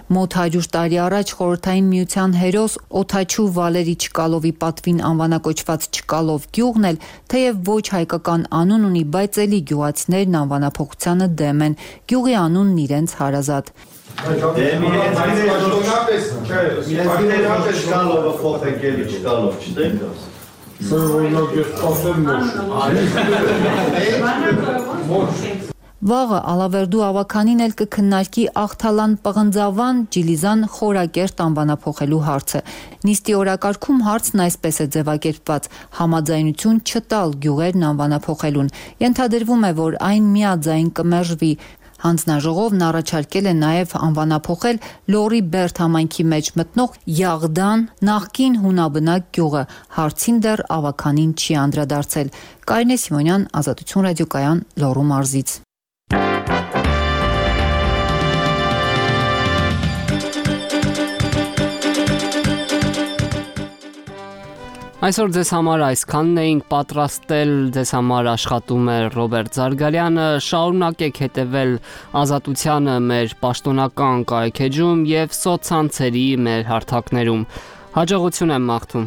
Մոտ 100 տարի առաջ Խորհրդային Միության հերոս Օթաչու Վալերի Չկալովի պատվին անվանակոչված Չկալով գյուղն էլ թեև ոչ հայկական անուն ունի, բայց էլի գյուղացիներն անվանափոխությանը դեմ են։ Գյուղի անունն իրենց հարազատ։ Վաղը Ալավերդու ավականին էլ կքննարկի Աղթալան Պղնձավան Ջիլիզան Խորակերտ անվանափոխելու հարցը։ Նիստի օրակարգում հարցն այսպես է ձևակերպված՝ համաձայնություն չտալ գյուղերն անվանափոխելուն։ Ենթադրվում է, որ այն միաձայն կմերժվի։ Հանձնաժողովն առաջարկել է նաև անվանափոխել Լորի Բերդ համայնքի մեջ մտնող Յաղդան նախկին հունաբնակ գյուղը։ Հարցին դեռ ավականին չի անդրադարձել։ Կարինե Սիմոնյան, Ազատություն ռադիոկայան, Լոռու մարզից։
Այսօր ձեզ համար այսքանն էինք պատրաստել, ձեզ համար աշխատում է Ռոբերտ Զարգարյանը, շարունակեք հետևել Ազատությանը մեր պաշտոնական կայքեջում և սոցցանցերի մեր հարթակներում։ Հաջողություն եմ մաղթում։